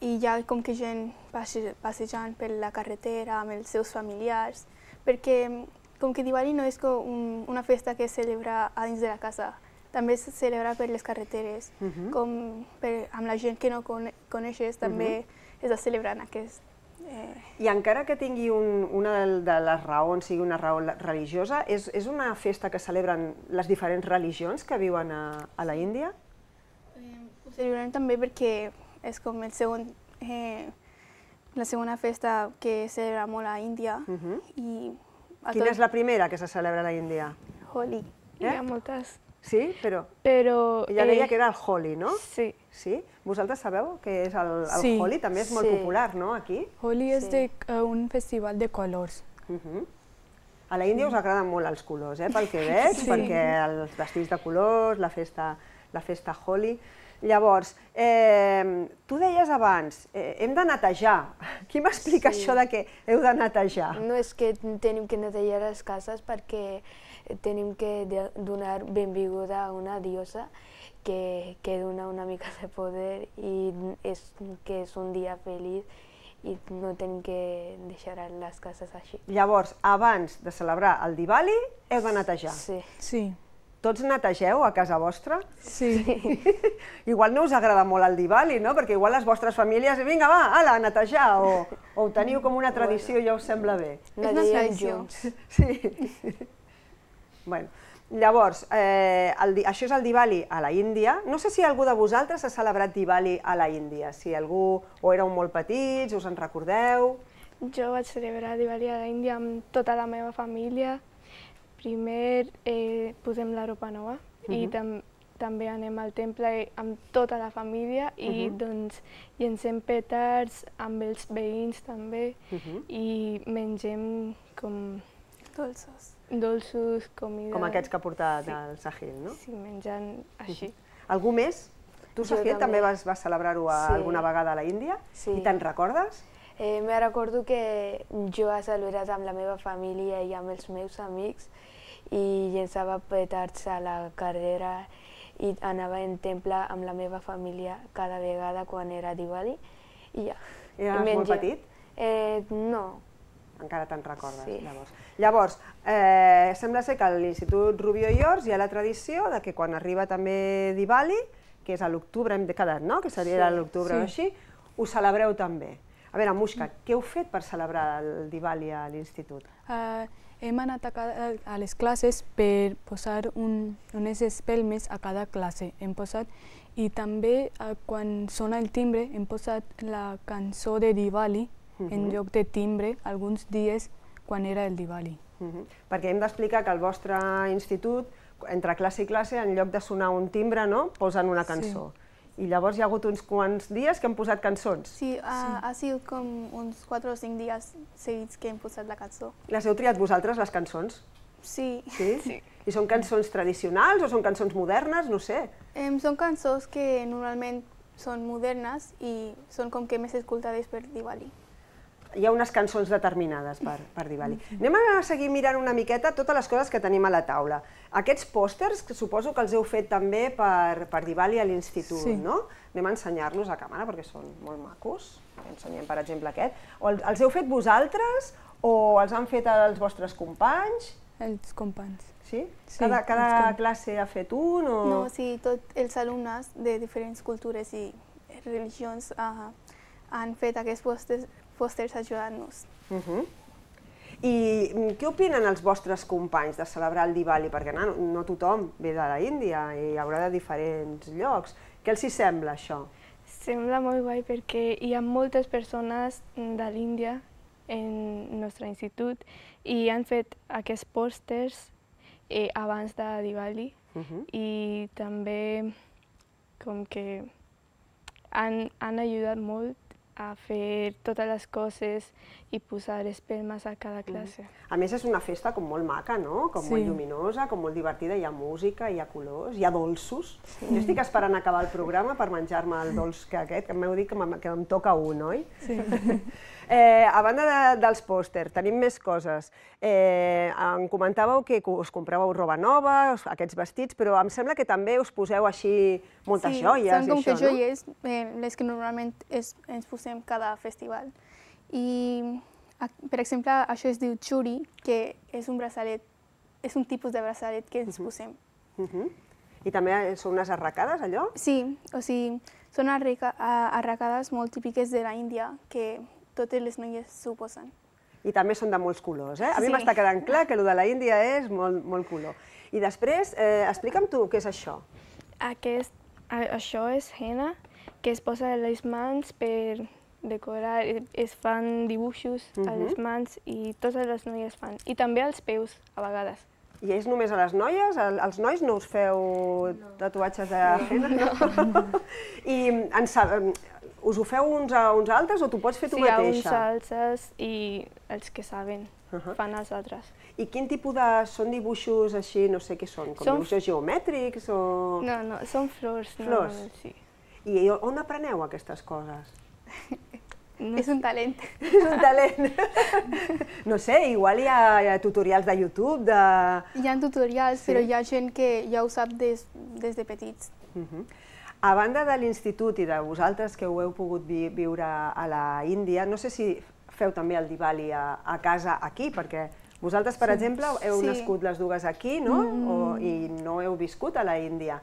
S5: i hi ha com que gent passe, passejant per la carretera amb els seus familiars, perquè com que Diwali no és com un, una festa que es celebra a dins de la casa, també es celebra per les carreteres,
S2: Uh -huh.
S5: com per, amb la gent que no cone coneixes també es va celebrant aquest. Eh,
S2: I encara que tingui un, una de les raons sigui una raó religiosa, és, és una festa que celebren les diferents religions que viuen a, a la Índia?
S5: Ho celebrem també perquè és com el segon, eh, la segona festa que es celebra molt a Índia.
S2: Uh -huh.
S5: I a
S2: Quina
S5: tot-
S2: és la primera que se celebra a la Índia?
S5: Holi.
S6: Hi ha moltes,
S2: Sí? Però
S6: però...
S2: ella deia
S6: eh,
S2: que era el Holi, no?
S6: Sí,
S2: Sí? Vosaltres sabeu què és el, el
S7: Sí.
S2: Holi? També és molt
S6: Sí.
S2: popular, no?, aquí?
S7: Holi és
S6: Sí.
S7: de, uh, un festival de colors.
S2: Uh -huh. A la Índia us agraden molt els colors, eh, pel que veig,
S7: Sí.
S2: perquè els vestits de colors, la festa, la festa Holi. Llavors, eh, tu deies abans, eh, hem de netejar. Qui m'explica
S6: Sí.
S2: això de que heu de netejar?
S6: no és que tenim que netejar les cases perquè tenim que de- donar benvinguda a una diosa que, que dona una mica de poder i és, que és un dia feliç i no tenim que deixar les cases així.
S2: Llavors, abans de celebrar el Diwali, heu de netejar.
S6: Sí.
S7: Sí,
S2: Tots netegeu a casa vostra?
S7: sí.
S2: Igual no us agrada molt el Diwali, no? Perquè igual les vostres famílies, vinga, va, ala, a netejar, o, o ho teniu com una tradició i ja us sembla bé.
S5: una
S6: Netegem
S5: tradició.
S6: junts.
S2: Sí. Bueno, llavors, eh, el, di- això és el Diwali a la Índia. No sé si algú de vosaltres ha celebrat Diwali a la Índia, si algú o éreu molt petits, us en recordeu.
S8: Jo vaig celebrar Diwali a l'Índia amb tota la meva família. Primer eh, posem la roba nova i
S2: Mhm.
S8: tam també anem al temple amb tota la família i
S2: Mhm.
S8: doncs llencem petards amb els veïns també
S2: Mhm.
S8: i mengem com
S5: Dolços.
S8: dolços, comida...
S2: Com aquests que ha portat
S8: Sí.
S2: el Sahil, no?
S8: Sí, menjant així.
S2: Algú més? Tu,
S6: Jo
S2: Sahil, també
S6: també.
S2: vas, vas celebrar-ho a-
S6: Sí.
S2: alguna vegada a la Índia?
S6: Sí.
S2: I te'n recordes?
S6: Eh, me recordo que jo he celebrat amb la meva família i amb els meus amics i llençava petards a la carrera i anava en temple amb la meva família cada vegada quan era Diwali i ja.
S2: Eres
S6: I
S2: molt
S6: menja-
S2: petit?
S6: Eh, no.
S2: Encara te'n recordes,
S6: Sí.
S2: llavors. Llavors, eh, sembla ser que a l'Institut Rubió i Ors hi ha la tradició de que quan arriba també Diwali, que és a l'octubre, hem quedat, no?, que seria
S6: Sí.
S2: a l'octubre o
S7: Sí.
S2: així, ho celebreu també. A veure, Mushka, què heu fet per celebrar el Diwali a l'institut?
S7: Uh, hem anat a, cada, a les classes per posar un, unes espelmes a cada classe. Hem posat, i també uh, quan sona el timbre hem posat la cançó de Diwali en
S2: Mhm.
S7: lloc de timbre alguns dies quan era el Diwali.
S2: Uh -huh. Perquè hem d'explicar que al vostre institut, entre classe i classe, en lloc de sonar un timbre, no?, posen una cançó. I llavors hi ha hagut uns quants dies que han posat cançons.
S5: Sí, ha, ha sigut com uns quatre o cinc dies seguits que hem posat la cançó.
S2: Les heu triat vosaltres, les cançons?
S5: Sí.
S2: Sí? sí. I són cançons tradicionals o són cançons modernes? No sé.
S5: Em, són cançons que normalment són modernes i són com que més escoltades per Diwali.
S2: Hi ha unes cançons determinades per, per Diwali. Anem a seguir mirant una miqueta totes les coses que tenim a la taula. Aquests pòsters, que suposo que els heu fet també per, per Diwali a l'institut,
S7: Sí.
S2: no? Anem a ensenyar-los a càmera perquè són molt macos. Ensenyem, per exemple, aquest. O el- els heu fet vosaltres o els han fet els vostres companys?
S7: Els companys.
S2: Sí?
S7: Sí,
S2: Cada,
S7: els
S2: cada
S7: com-
S2: classe ha fet un o...?
S5: No, sí, tots els alumnes de diferents cultures i religions uh, han fet aquests pòsters, pòsters ajudant-nos.
S2: Uh -huh. I mm, què opinen els vostres companys de celebrar el Diwali? Perquè no, no tothom ve de la Índia i hi haurà de diferents llocs. Què els hi sembla, això?
S8: Sembla molt guai perquè hi ha moltes persones de l'Índia en el nostre institut i han fet aquests pòsters eh, abans de Diwali
S2: Uh -huh.
S8: i també com que han, han ajudat molt a fer totes les coses i posar espelmes a cada classe.
S2: A més, és una festa com molt maca, no? Com molt lluminosa, com molt divertida, hi ha música, hi ha colors, hi ha dolços. Jo estic esperant acabar el programa per menjar-me el dolç que aquest, que m'heu dit que em toca un, oi? Sí. A banda dels pòsters, tenim més coses. Em comentàveu que us compràveu roba nova, aquests vestits, però em sembla que també us poseu així moltes joies i això, no?
S5: Sí, són com que joies, les que normalment ens posem cada festival. I, per exemple, això es diu churi, que és un braçalet, és un tipus de braçalet que ens posem.
S2: I també són unes arracades, allò?
S5: Sí, o sigui, són arracades molt típiques de l'Índia, que totes les noies s'ho posen.
S2: I també són de molts colors, eh? A mi m'està quedant clar que el de l'Índia és molt color. I després, explica'm tu què és això.
S8: Això és henna, que es posa a les mans per decorar, es fan dibuixos a les mans i totes les noies fan. I també als peus, a vegades.
S2: I és només a les noies? Els nois no us feu tatuatges de henna? I us ho feu uns a uns altres o t'ho pots fer tu mateixa?
S8: Sí, a uns altres i els que saben fan els altres.
S2: I quin tipus de... són dibuixos així, no sé què són? Com dibuixos geomètrics o...?
S8: No, no, són flors.
S2: Flors? Sí. I on apreneu aquestes coses?
S5: És un talent.
S2: És un talent. No sé, igual hi ha tutorials de YouTube, de...
S5: Hi ha tutorials, però hi ha gent que ja ho sap des de petits.
S2: A banda de l'institut i de vosaltres que ho heu pogut viure a la Índia, no sé si feu també el Diwali a casa aquí, perquè vosaltres, per exemple, heu nascut les dues aquí, no? I no heu viscut a la Índia.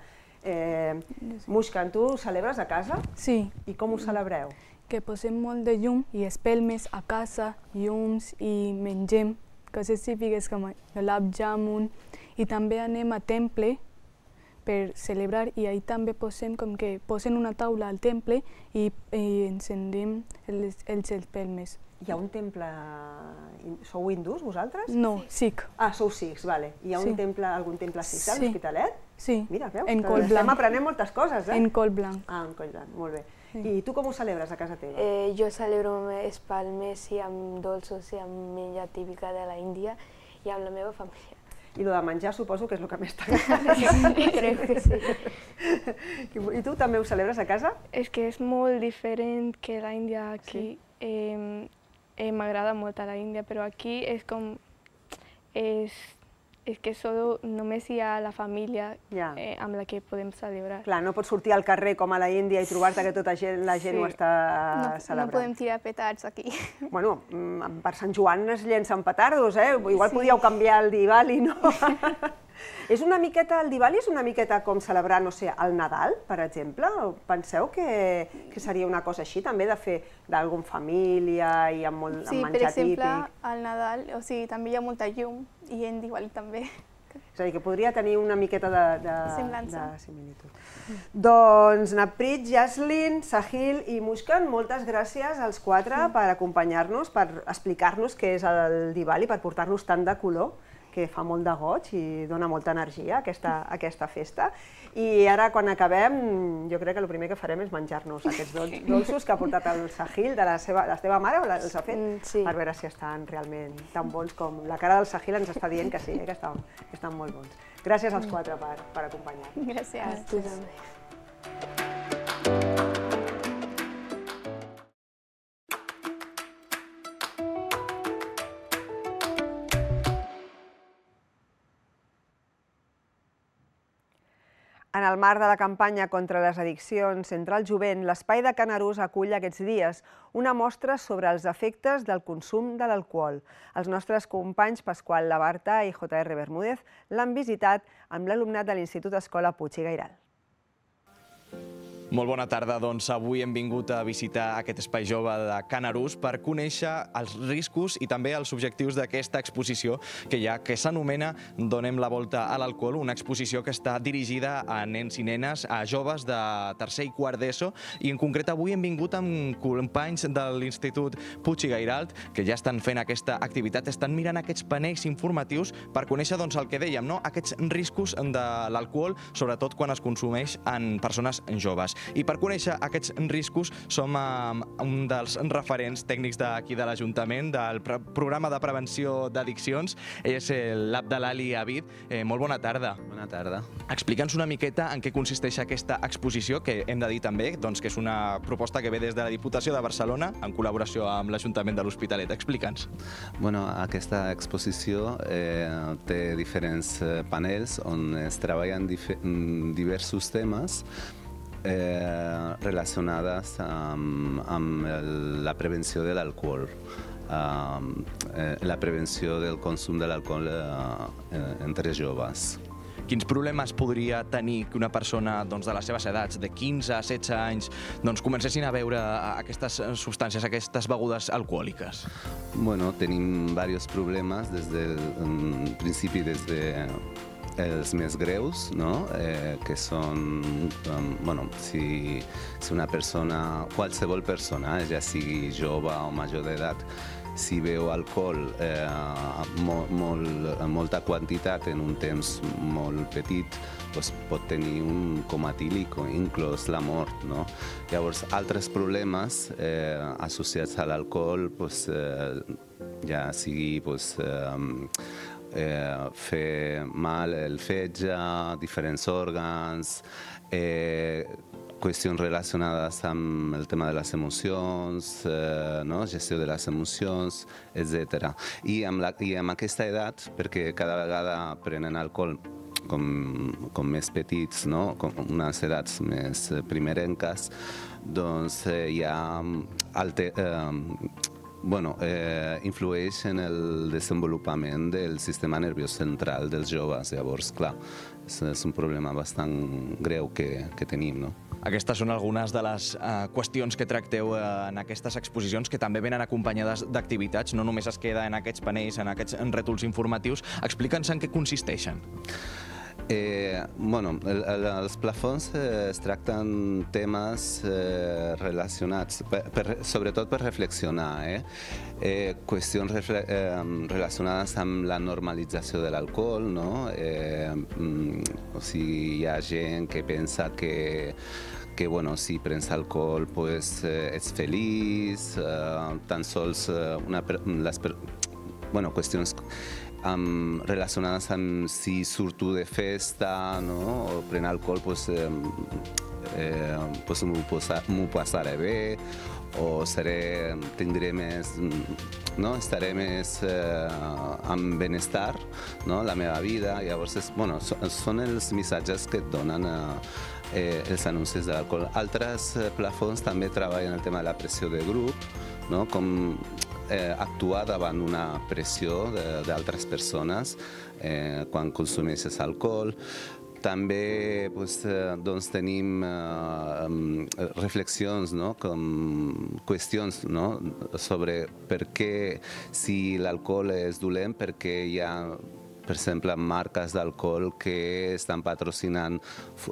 S2: Mushkan, tu ho celebres a casa?
S7: Sí.
S2: I com ho celebreu?
S7: Que posem molt de llum i espelmes a casa, llums i mengem coses típiques com gulab jamun i també anem a temple per celebrar i ahir també posem com que posen una taula al temple i encendem els espelmes.
S2: Hi ha un temple... Sou hindús, vosaltres?
S7: No, sikh.
S2: Ah, sou sikhs, vale. Hi ha un temple, algun temple sikh a l'Hospitalet?
S7: Sí.
S2: Mira, veus?
S7: En coll blanc.
S2: Estem aprenent moltes coses, eh?
S7: En coll blanc.
S2: Ah, en coll blanc, molt bé. I tu com ho celebres a casa teva?
S6: Jo celebro amb espelmes i amb dolços i amb menjar típica de l'Índia i amb la meva família.
S2: I el de menjar suposo que és el que més t'agrada.
S6: Sí, crec que sí.
S2: I tu també ho celebres a casa?
S8: És que és molt diferent que l'Índia aquí. M'agrada molt a l'Índia, però aquí és com... És que només hi ha la família amb la que podem celebrar.
S2: Clar, no pots sortir al carrer com a la Índia i trobar-te que tota la gent ho està celebrant.
S5: No podem tirar petards aquí.
S2: Bueno, per Sant Joan es llencen petardos, eh? Igual podíeu canviar el Diwali, no? És una miqueta, el Diwali és una miqueta com celebrar, no sé, el Nadal, per exemple? Penseu que seria una cosa així, també, de fer d'algun família i amb menjar típic?
S5: Sí, per exemple, al Nadal, o sigui, també hi ha molta llum i en Diwali també.
S2: És a dir, que podria tenir una miqueta de
S5: semblança.
S2: similitud. Doncs Naprit, Yaslin, Sahil i Mushkan, moltes gràcies als quatre per acompanyar-nos, per explicar-nos què és el Diwali, per portar-nos tant de color, que fa molt de goig i dona molta energia a aquesta festa. I ara, quan acabem, jo crec que el primer que farem és menjar-nos aquests dolços que ha portat el Sahil, de la teva mare, els ha fet, per veure si estan realment tan bons com la cara del Sahil ens està dient que sí, que estan molt bons. Gràcies als quatre per acompanyar-nos.
S5: Gràcies.
S6: A tu també.
S2: En el marc de la campanya contra les addiccions entre el jovent, l'Espai de Can Arús acull aquests dies una mostra sobre els efectes del consum de l'alcohol. Els nostres companys Pasqual Labarta i J R Bermúdez l'han visitat amb l'alumnat de l'Institut Escola Puig i Gairal.
S9: Molt bona tarda, doncs avui hem vingut a visitar aquest espai jove de Can Arús per conèixer els riscos i també els objectius d'aquesta exposició que hi ha, que s'anomena Donem la volta a l'alcohol, una exposició que està dirigida a nens i nenes, a joves de tercer i quart d'ESO, i en concret avui hem vingut amb companys de l'Institut Puig i Gairalt que ja estan fent aquesta activitat, estan mirant aquests panells informatius per conèixer doncs, el que dèiem, no? Aquests riscos de l'alcohol, sobretot quan es consumeix en persones joves. I per conèixer aquests riscos som un dels referents tècnics d'aquí de l'Ajuntament, del programa de prevenció d'addiccions. Ell és l'Abdelali Abid. Molt bona tarda.
S10: Bona tarda.
S9: Explica'ns una miqueta en què consisteix aquesta exposició, que hem de dir també doncs, que és una proposta que ve des de la Diputació de Barcelona en col·laboració amb l'Ajuntament de l'Hospitalet. Explica'ns.
S10: Bueno, aquesta exposició eh, té diferents panels on es treballen diversos temes eh, relacionats amb, amb la prevenció de l'alcohol. Uh, eh, la prevenció del consum de l'alcohol eh, entre joves.
S9: Quins problemes podria tenir que una persona doncs, de les seves edats, de quinze a setze anys, doncs, comencessin a beure aquestes substàncies, aquestes begudes alcohòliques?
S10: Bueno, tenim diversos problemes des del principi, des de els més greus, no? eh, que són, um, bueno, si, si una persona, qualsevol persona, ja sigui jove o major d'edat, si beu alcohol eh, molt, molt, molta quantitat en un temps molt petit, doncs pot tenir un coma etílic o inclús la mort. No? Llavors, altres problemes eh, associats a l'alcohol, doncs, eh, ja sigui doncs, eh, Eh, fer mal el fetge, diferents òrgans, eh, qüestions relacionades amb el tema de les emocions, eh, no? Gestió de les emocions, etcètera. I amb, la, I amb aquesta edat, perquè cada vegada prenen alcohol com, com més petits, no? Com unes edats més primerenques, doncs eh, hi ha alte, eh, Bueno, eh, influeix en el desenvolupament del sistema nerviós central dels joves. Llavors, clar, és, és un problema bastant greu que, que tenim, no?
S9: Aquestes són algunes de les uh, qüestions que tracteu uh, en aquestes exposicions, que també venen acompanyades d'activitats, no només es queda en aquests panells, en aquests rètols informatius. Explica'ns en què consisteixen.
S10: Eh, bueno, el, el, els plafons eh, es tracten temes eh, relacionats, per, per, sobretot per reflexionar, eh? Eh, qüestions refle eh, relacionades amb la normalització de l'alcohol, no? Eh, mm, o sigui, hi ha gent que pensa que que bueno, si prens alcohol pues, eh, ets feliç, eh, tan sols eh, una, les, bueno, qüestions Um, relacionades amb si surto de festa, no? O pren alcohol, pues, eh, eh, pues m'ho passaré bé, o seré, tindré més, no? Estaré més eh, amb benestar, no? La meva vida. Llavors, és, bueno, són els missatges que et donen eh, els anuncis de l'alcohol. Altres eh, plafons també treballen el tema de la pressió de grup, no? Com Eh, actuar davant una pressió d'altres persones eh, quan consumeixes alcohol. També pues, eh, doncs, tenim eh, reflexions, no? Com qüestions, no? Sobre per què, si l'alcohol és dolent, perquè hi ha, per exemple, marques d'alcohol que estan patrocinant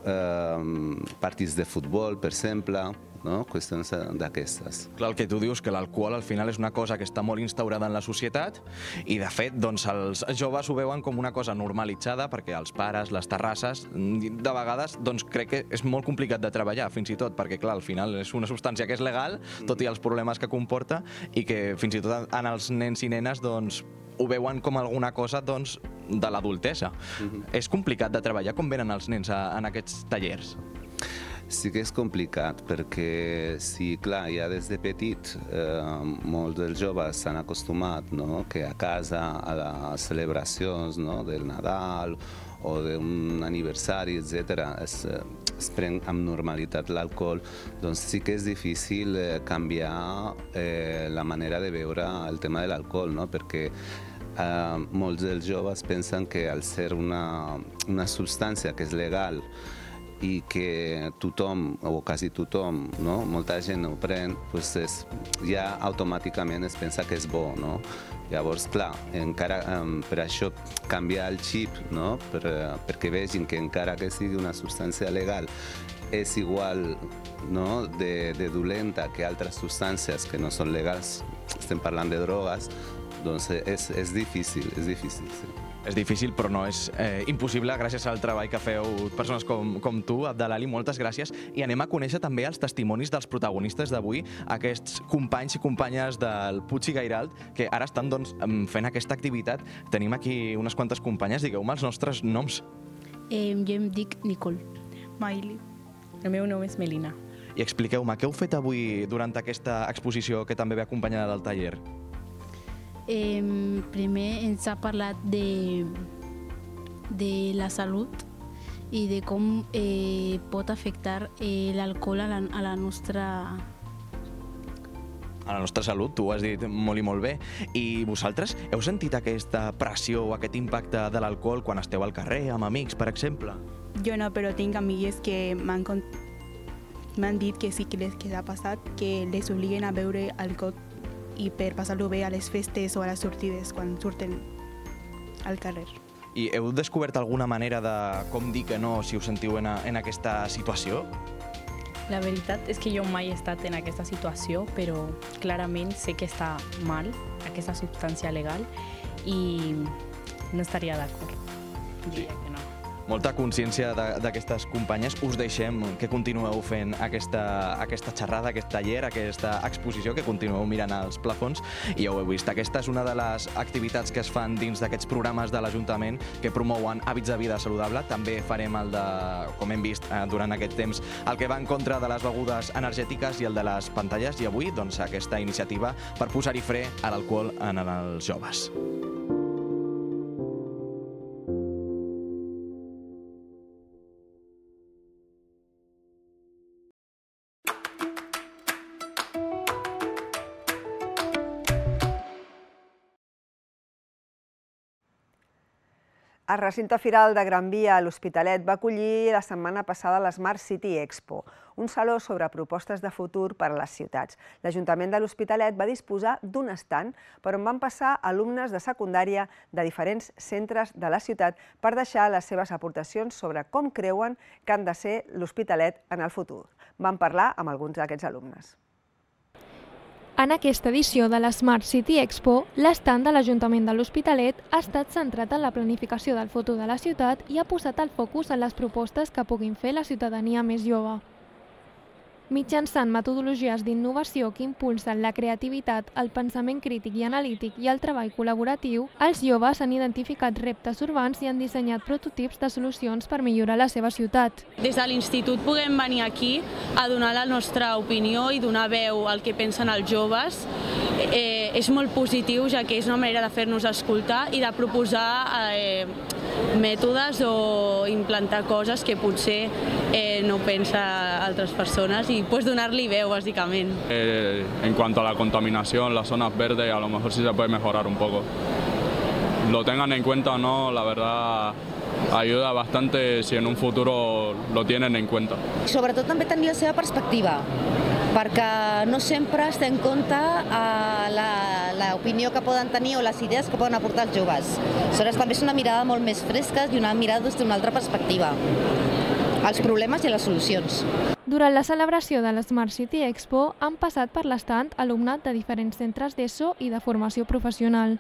S10: eh, partits de futbol, per exemple, no? Qüestions d'aquestes.
S9: Clar, el que tu dius, que l'alcohol al final és una cosa que està molt instaurada en la societat i, de fet, doncs, els joves ho veuen com una cosa normalitzada perquè els pares, les terrasses, de vegades, doncs, crec que és molt complicat de treballar, fins i tot, perquè, clar, al final és una substància que és legal, tot i els problemes que comporta, i que fins i tot en els nens i nenes, doncs, ho veuen com alguna cosa, doncs, de l'adultesa. Mm-hmm. És complicat de treballar. Com venen els nens a, en aquests tallers?
S10: Sí que és complicat, perquè si, clar, ja des de petit eh, molts dels joves s'han acostumat, no? Que a casa, a les celebracions, no? Del Nadal o d'un aniversari, etcètera, es, es pren amb normalitat l'alcohol, doncs sí que és difícil eh, canviar eh, la manera de veure el tema de l'alcohol, no? Perquè eh, molts dels joves pensen que al ser una, una substància que és legal i que tothom, o quasi tothom, no? Molta gent ho pren, pues és, ja automàticament es pensa que és bo, no? Llavors, clar, encara, um, per això canviar el xip, no? Per, perquè vegin que encara que sigui una substància legal és igual, no? de, de dolenta que altres substàncies que no són legals, estem parlant de drogues, doncs és, és difícil, és difícil, sí.
S9: És difícil, però no és eh, impossible gràcies al treball que feu persones com, com tu, Abdelali, moltes gràcies. I anem a conèixer també els testimonis dels protagonistes d'avui, aquests companys i companyes del Puig i Gairalt, que ara estan doncs, fent aquesta activitat. Tenim aquí unes quantes companyes, digueu-me els nostres noms.
S11: Eh, jo em dic Nicole.
S12: Maili. El meu nom és Melina.
S9: I expliqueu-me, què heu fet avui durant aquesta exposició que també ve acompanyada del taller?
S11: Eh, primer ens ha parlat de, de la salut i de com eh, pot afectar eh, l'alcohol a, la, a la nostra...
S9: A la nostra salut, tu ho has dit molt i molt bé. I vosaltres heu sentit aquesta pressió o aquest impacte de l'alcohol quan esteu al carrer, amb amics, per exemple?
S12: Jo no, però tinc amigues que m'han m'han dit que sí que les que ha passat, que les obliguen a beure alcohol i per passar-lo bé a les festes o a les sortides quan surten al carrer.
S9: I heu descobert alguna manera de com dir que no si us sentiu en, a, en aquesta situació?
S13: La veritat és que jo mai he estat en aquesta situació, però clarament sé que està mal aquesta substància legal i no estaria d'acord. Diria que no.
S9: Molta consciència d'aquestes companyes. Us deixem que continueu fent aquesta, aquesta xerrada, aquest taller, aquesta exposició, que continueu mirant els plafons. I ja ho heu vist, aquesta és una de les activitats que es fan dins d'aquests programes de l'Ajuntament que promouen hàbits de vida saludable. També farem el de, com hem vist durant aquest temps, el que va en contra de les begudes energètiques i el de les pantalles. I avui, doncs, aquesta iniciativa per posar-hi fre a l'alcohol en els joves.
S2: El recinte firal de Gran Via a l'Hospitalet va acollir la setmana passada l'Smart City Expo, un saló sobre propostes de futur per a les ciutats. L'Ajuntament de l'Hospitalet va disposar d'un estand per on van passar alumnes de secundària de diferents centres de la ciutat per deixar les seves aportacions sobre com creuen que han de ser l'Hospitalet en el futur. Van parlar amb alguns d'aquests alumnes.
S1: En aquesta edició de la Smart City Expo, l'estand de l'Ajuntament de l'Hospitalet ha estat centrat en la planificació del futur de la ciutat i ha posat el focus en les propostes que puguin fer la ciutadania més jove. Mitjançant metodologies d'innovació que impulsen la creativitat, el pensament crític i analític i el treball col·laboratiu, els joves han identificat reptes urbans i han dissenyat prototips de solucions per millorar la seva ciutat.
S14: Des de l'institut puguem venir aquí a donar la nostra opinió i donar veu al que pensen els joves. Eh, és molt positiu, ja que és una manera de fer-nos escoltar i de proposar eh, mètodes o implantar coses que potser eh, no pensen altres persones y pues donarle veu, básicamente.
S15: Eh, en cuanto a la contaminación, las zonas verdes, a lo mejor sí se puede mejorar un poco. Lo tengan en cuenta o no, la verdad ayuda bastante si en un futuro lo tienen en cuenta.
S16: Sobretot també tenir la seva perspectiva, perquè no sempre es té en compte l'opinió que poden tenir o les idees que poden aportar els joves. Aleshores també és una mirada molt més fresca i una mirada des d'una altra perspectiva, als problemes i a les solucions.
S1: Durant la celebració de la Smart City Expo han passat per l'estand alumnat de diferents centres d'ESO i de formació professional.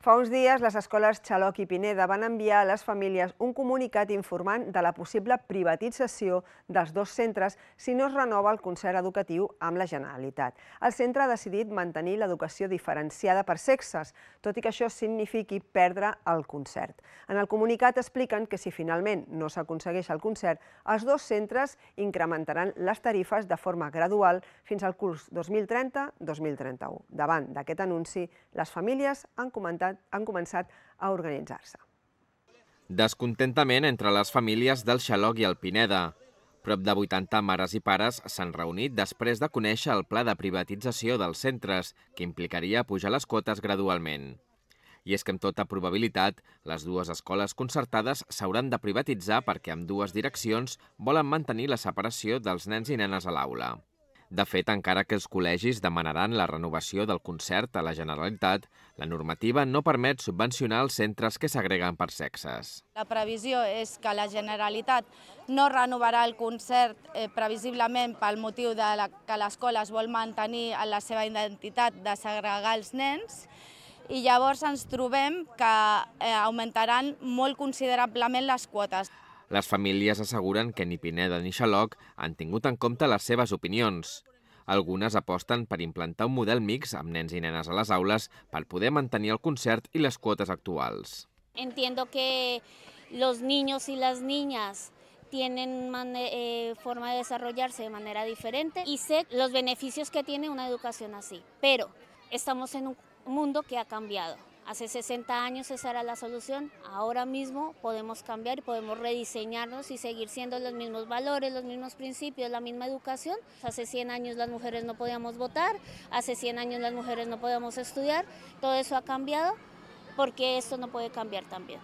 S2: Fa uns dies, les escoles Xaloc i Pineda van enviar a les famílies un comunicat informant de la possible privatització dels dos centres si no es renova el concert educatiu amb la Generalitat. El centre ha decidit mantenir l'educació diferenciada per sexes, tot i que això signifiqui perdre el concert. En el comunicat expliquen que si finalment no s'aconsegueix el concert, els dos centres incrementaran les tarifes de forma gradual fins al curs dos mil trenta dos mil trenta-u. Davant d'aquest anunci, les famílies han comentat han començat a organitzar-se.
S17: Descontentament entre les famílies del Xaloc i el Pineda. Prop de vuitanta mares i pares s'han reunit després de conèixer el pla de privatització dels centres, que implicaria pujar les quotes gradualment. I és que amb tota probabilitat, les dues escoles concertades s'hauran de privatitzar perquè ambdues direccions volen mantenir la separació dels nens i nenes a l'aula. De fet, encara que els col·legis demanaran la renovació del concert a la Generalitat, la normativa no permet subvencionar els centres que s'agreguen per sexes.
S18: La previsió és que la Generalitat no renovarà el concert eh, previsiblement pel motiu de la, que l'escola es vol mantenir en la seva identitat de segregar els nens i llavors ens trobem que augmentaran molt considerablement les quotes.
S17: Les famílies asseguren que ni Pineda ni Xaloc han tingut en compte les seves opinions. Algunes aposten per implantar un model mix amb nens i nenes a les aules per poder mantenir el concert i les quotes actuals.
S19: Entiendo que los niños y las niñas tienen eh, forma de desarrollarse de manera diferente y sé los beneficios que tiene una educación así, pero estamos en un mundo que ha cambiado. Hace sesenta años esa era la solución, ahora mismo podemos cambiar y podemos rediseñarnos y seguir siendo los mismos valores, los mismos principios, la misma educación. Hace cien años las mujeres no podíamos votar, hace cien años las mujeres no podíamos estudiar, todo eso ha cambiado porque esto no puede cambiar también.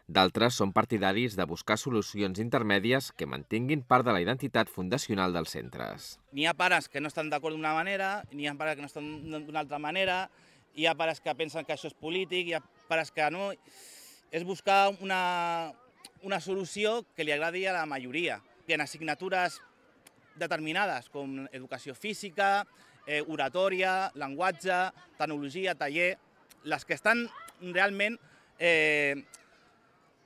S17: D'altres són partidaris de buscar solucions intermèdies que mantinguin part de la identitat fundacional dels centres.
S20: N'hi ha pares que no estan d'acord d'una manera, n'hi ha pares que no estan d'una altra manera, hi ha pares que pensen que això és polític, hi ha pares que no... És buscar una, una solució que li agradi a la majoria. Hi ha assignatures determinades, com educació física, eh, oratòria, llenguatge, tecnologia, taller, les que estan realment eh,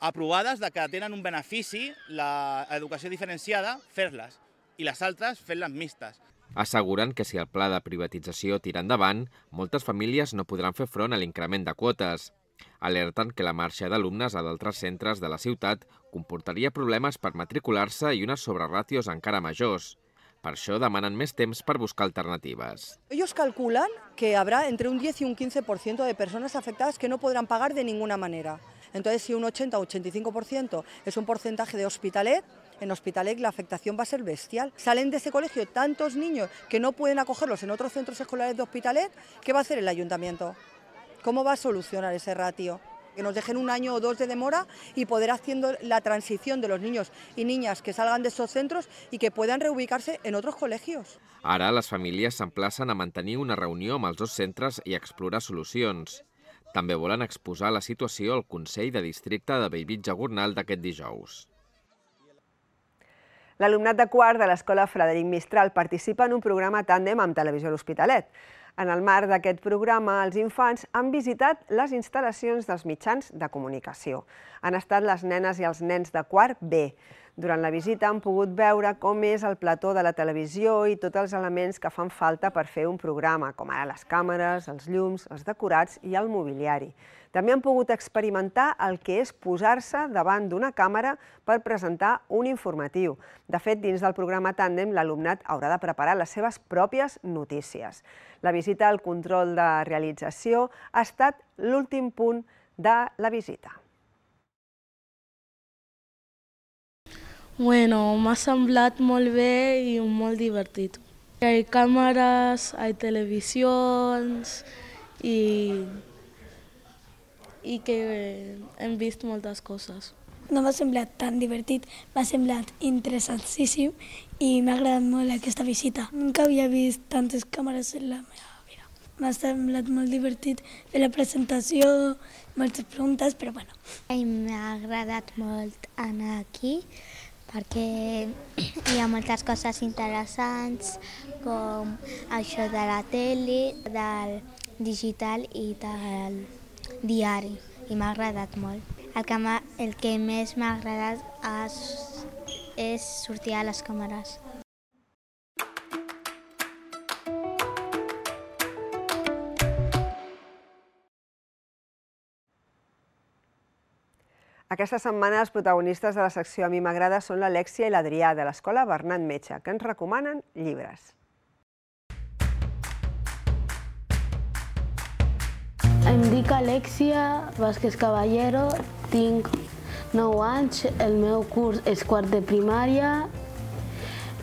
S20: aprovades de que tenen un benefici, l'educació diferenciada, fer-les, i les altres fer-les mixtes.
S17: Asseguren que si el pla de privatització tira endavant, moltes famílies no podran fer front a l'increment de quotes. Alerten que la marxa d'alumnes a d'altres centres de la ciutat comportaria problemes per matricular-se i unes sobreràtios encara majors. Per això demanen més temps per buscar alternatives.
S21: Ellos calculan que habrá entre un diez y un quince por ciento de personas afectadas que no podrán pagar de ninguna manera. Entonces, si un ochenta o ochenta y cinco por ciento es un porcentaje de Hospitalet, en Hospitalet la afectación va a ser bestial. Salen de ese colegio tantos niños que no pueden acogerlos en otros centros escolares de Hospitalet, ¿qué va a hacer el ayuntamiento? ¿Cómo va a solucionar ese ratio? Que nos dejen un año o dos de demora y poder haciendo la transición de los niños y niñas que salgan de esos centros y que puedan reubicarse en otros colegios.
S17: Ara les famílies s'emplacen a mantenir una reunió amb els dos centres i explorar solucions. També volen exposar la situació al Consell de Districte de Bellvitge-Gornal d'aquest dijous.
S2: L'alumnat de quart de l'Escola Frederic Mistral participa en un programa tàndem amb Televisió a l'Hospitalet. En el marc d'aquest programa, els infants han visitat les instal·lacions dels mitjans de comunicació. Han estat les nenes i els nens de quart B. Durant la visita han pogut veure com és el plató de la televisió i tots els elements que fan falta per fer un programa, com ara les càmeres, els llums, els decorats i el mobiliari. També han pogut experimentar el que és posar-se davant d'una càmera per presentar un informatiu. De fet, dins del programa Tàndem, l'alumnat haurà de preparar les seves pròpies notícies. La visita al control de realització ha estat l'últim punt de la visita.
S22: Bueno, m'ha semblat molt bé i molt divertit. Hi ha càmeres, hi ha televisions i, i que hem vist moltes coses.
S23: No m'ha semblat tan divertit, m'ha semblat interessantíssim i m'ha agradat molt aquesta visita. Nunca havia vist tantes càmeres en la meva vida. M'ha semblat molt divertit fer la presentació, moltes preguntes, però bueno.
S24: M'ha agradat molt anar aquí, perquè hi ha moltes coses interessants, com això de la tele, del digital i del diari, i m'ha agradat molt. El que, el que més m'ha agradat és, és sortir a les càmeres.
S2: Aquesta setmana els protagonistes de la secció A mi m'agrada són l'Alèxia i l'Adrià de l'Escola Bernat Metge, que ens recomanen llibres.
S25: Em dic Alèxia Vázquez Caballero, tinc nou anys, el meu curs és quart de primària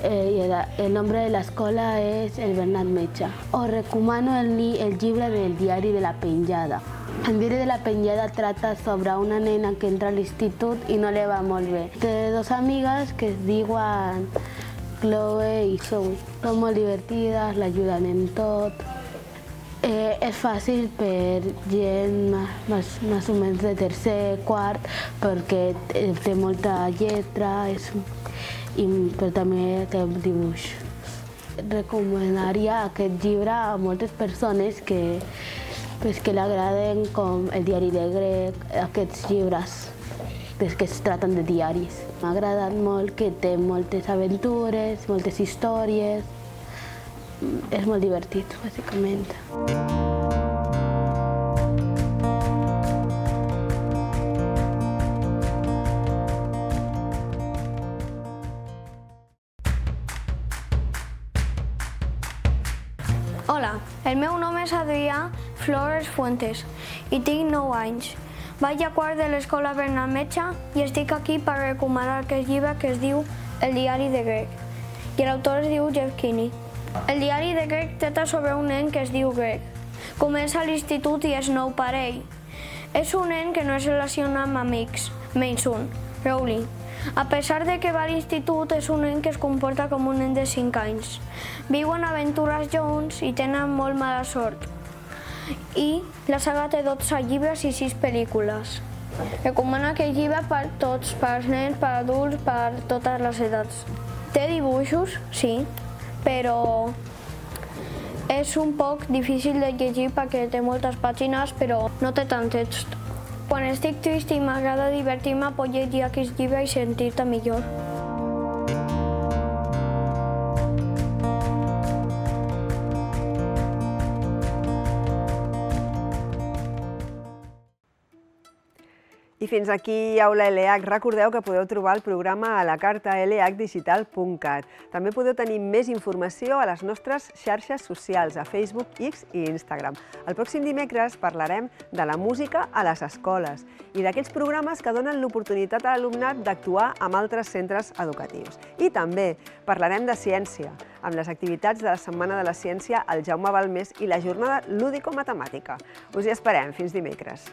S25: i el nombre de l'escola és el Bernat Metge. Us recomano el llibre del diari de la penjada. El diari de la penjada trata sobre una nena que entra a l'institut i no li va molt bé. Té dues amigues que es diuen Chloe i Zoe. Són molt divertides, l'ajuden en tot. Eh, és fàcil per gent més, més o menys de tercer, quart, perquè té molta lletra, és, i, però també té dibuix. Recomanaria aquest llibre a moltes persones que pues, que li agraden, com el diari de grec, aquests llibres que es tracten de diaris. M'ha agradat molt que té moltes aventures, moltes històries. És molt divertit, bàsicament.
S3: Hola, el meu nom és Adrià Flores Fuentes i tinc nou anys. Vaig a quart de l'escola Bernat Metge i estic aquí per recomanar aquest llibre que es diu El diari de Greg i l'autor es diu Jeff Kinney. El diari de Greg tracta sobre un nen que es diu Greg. Comença a l'institut i és nou per ell. És un nen que no es relaciona amb amics, menys un, Rowling. A pesar de que va a l'institut, és un nen que es comporta com un nen de cinc anys. Viuen aventures junts i tenen molt mala sort. I la saga té dotze llibres i sis pel·lícules. Recomano aquest llibre per tots, per nens, per adults, per totes les edats. Té dibuixos, sí, però és un poc difícil de llegir perquè té moltes pàgines, però no té tant text. Quan estic trist i m'agrada divertir-me, puc llegir aquest llibre i sentir-te millor.
S2: I fins aquí Aula L H. Recordeu que podeu trobar el programa a la carta l h digital punt cat. També podeu tenir més informació a les nostres xarxes socials, a Facebook, X i Instagram. El pròxim dimecres parlarem de la música a les escoles i d'aquells programes que donen l'oportunitat a l'alumnat d'actuar amb altres centres educatius. I també parlarem de ciència, amb les activitats de la Setmana de la Ciència al Jaume Balmés i la jornada lúdico-matemàtica. Us hi esperem. Fins dimecres.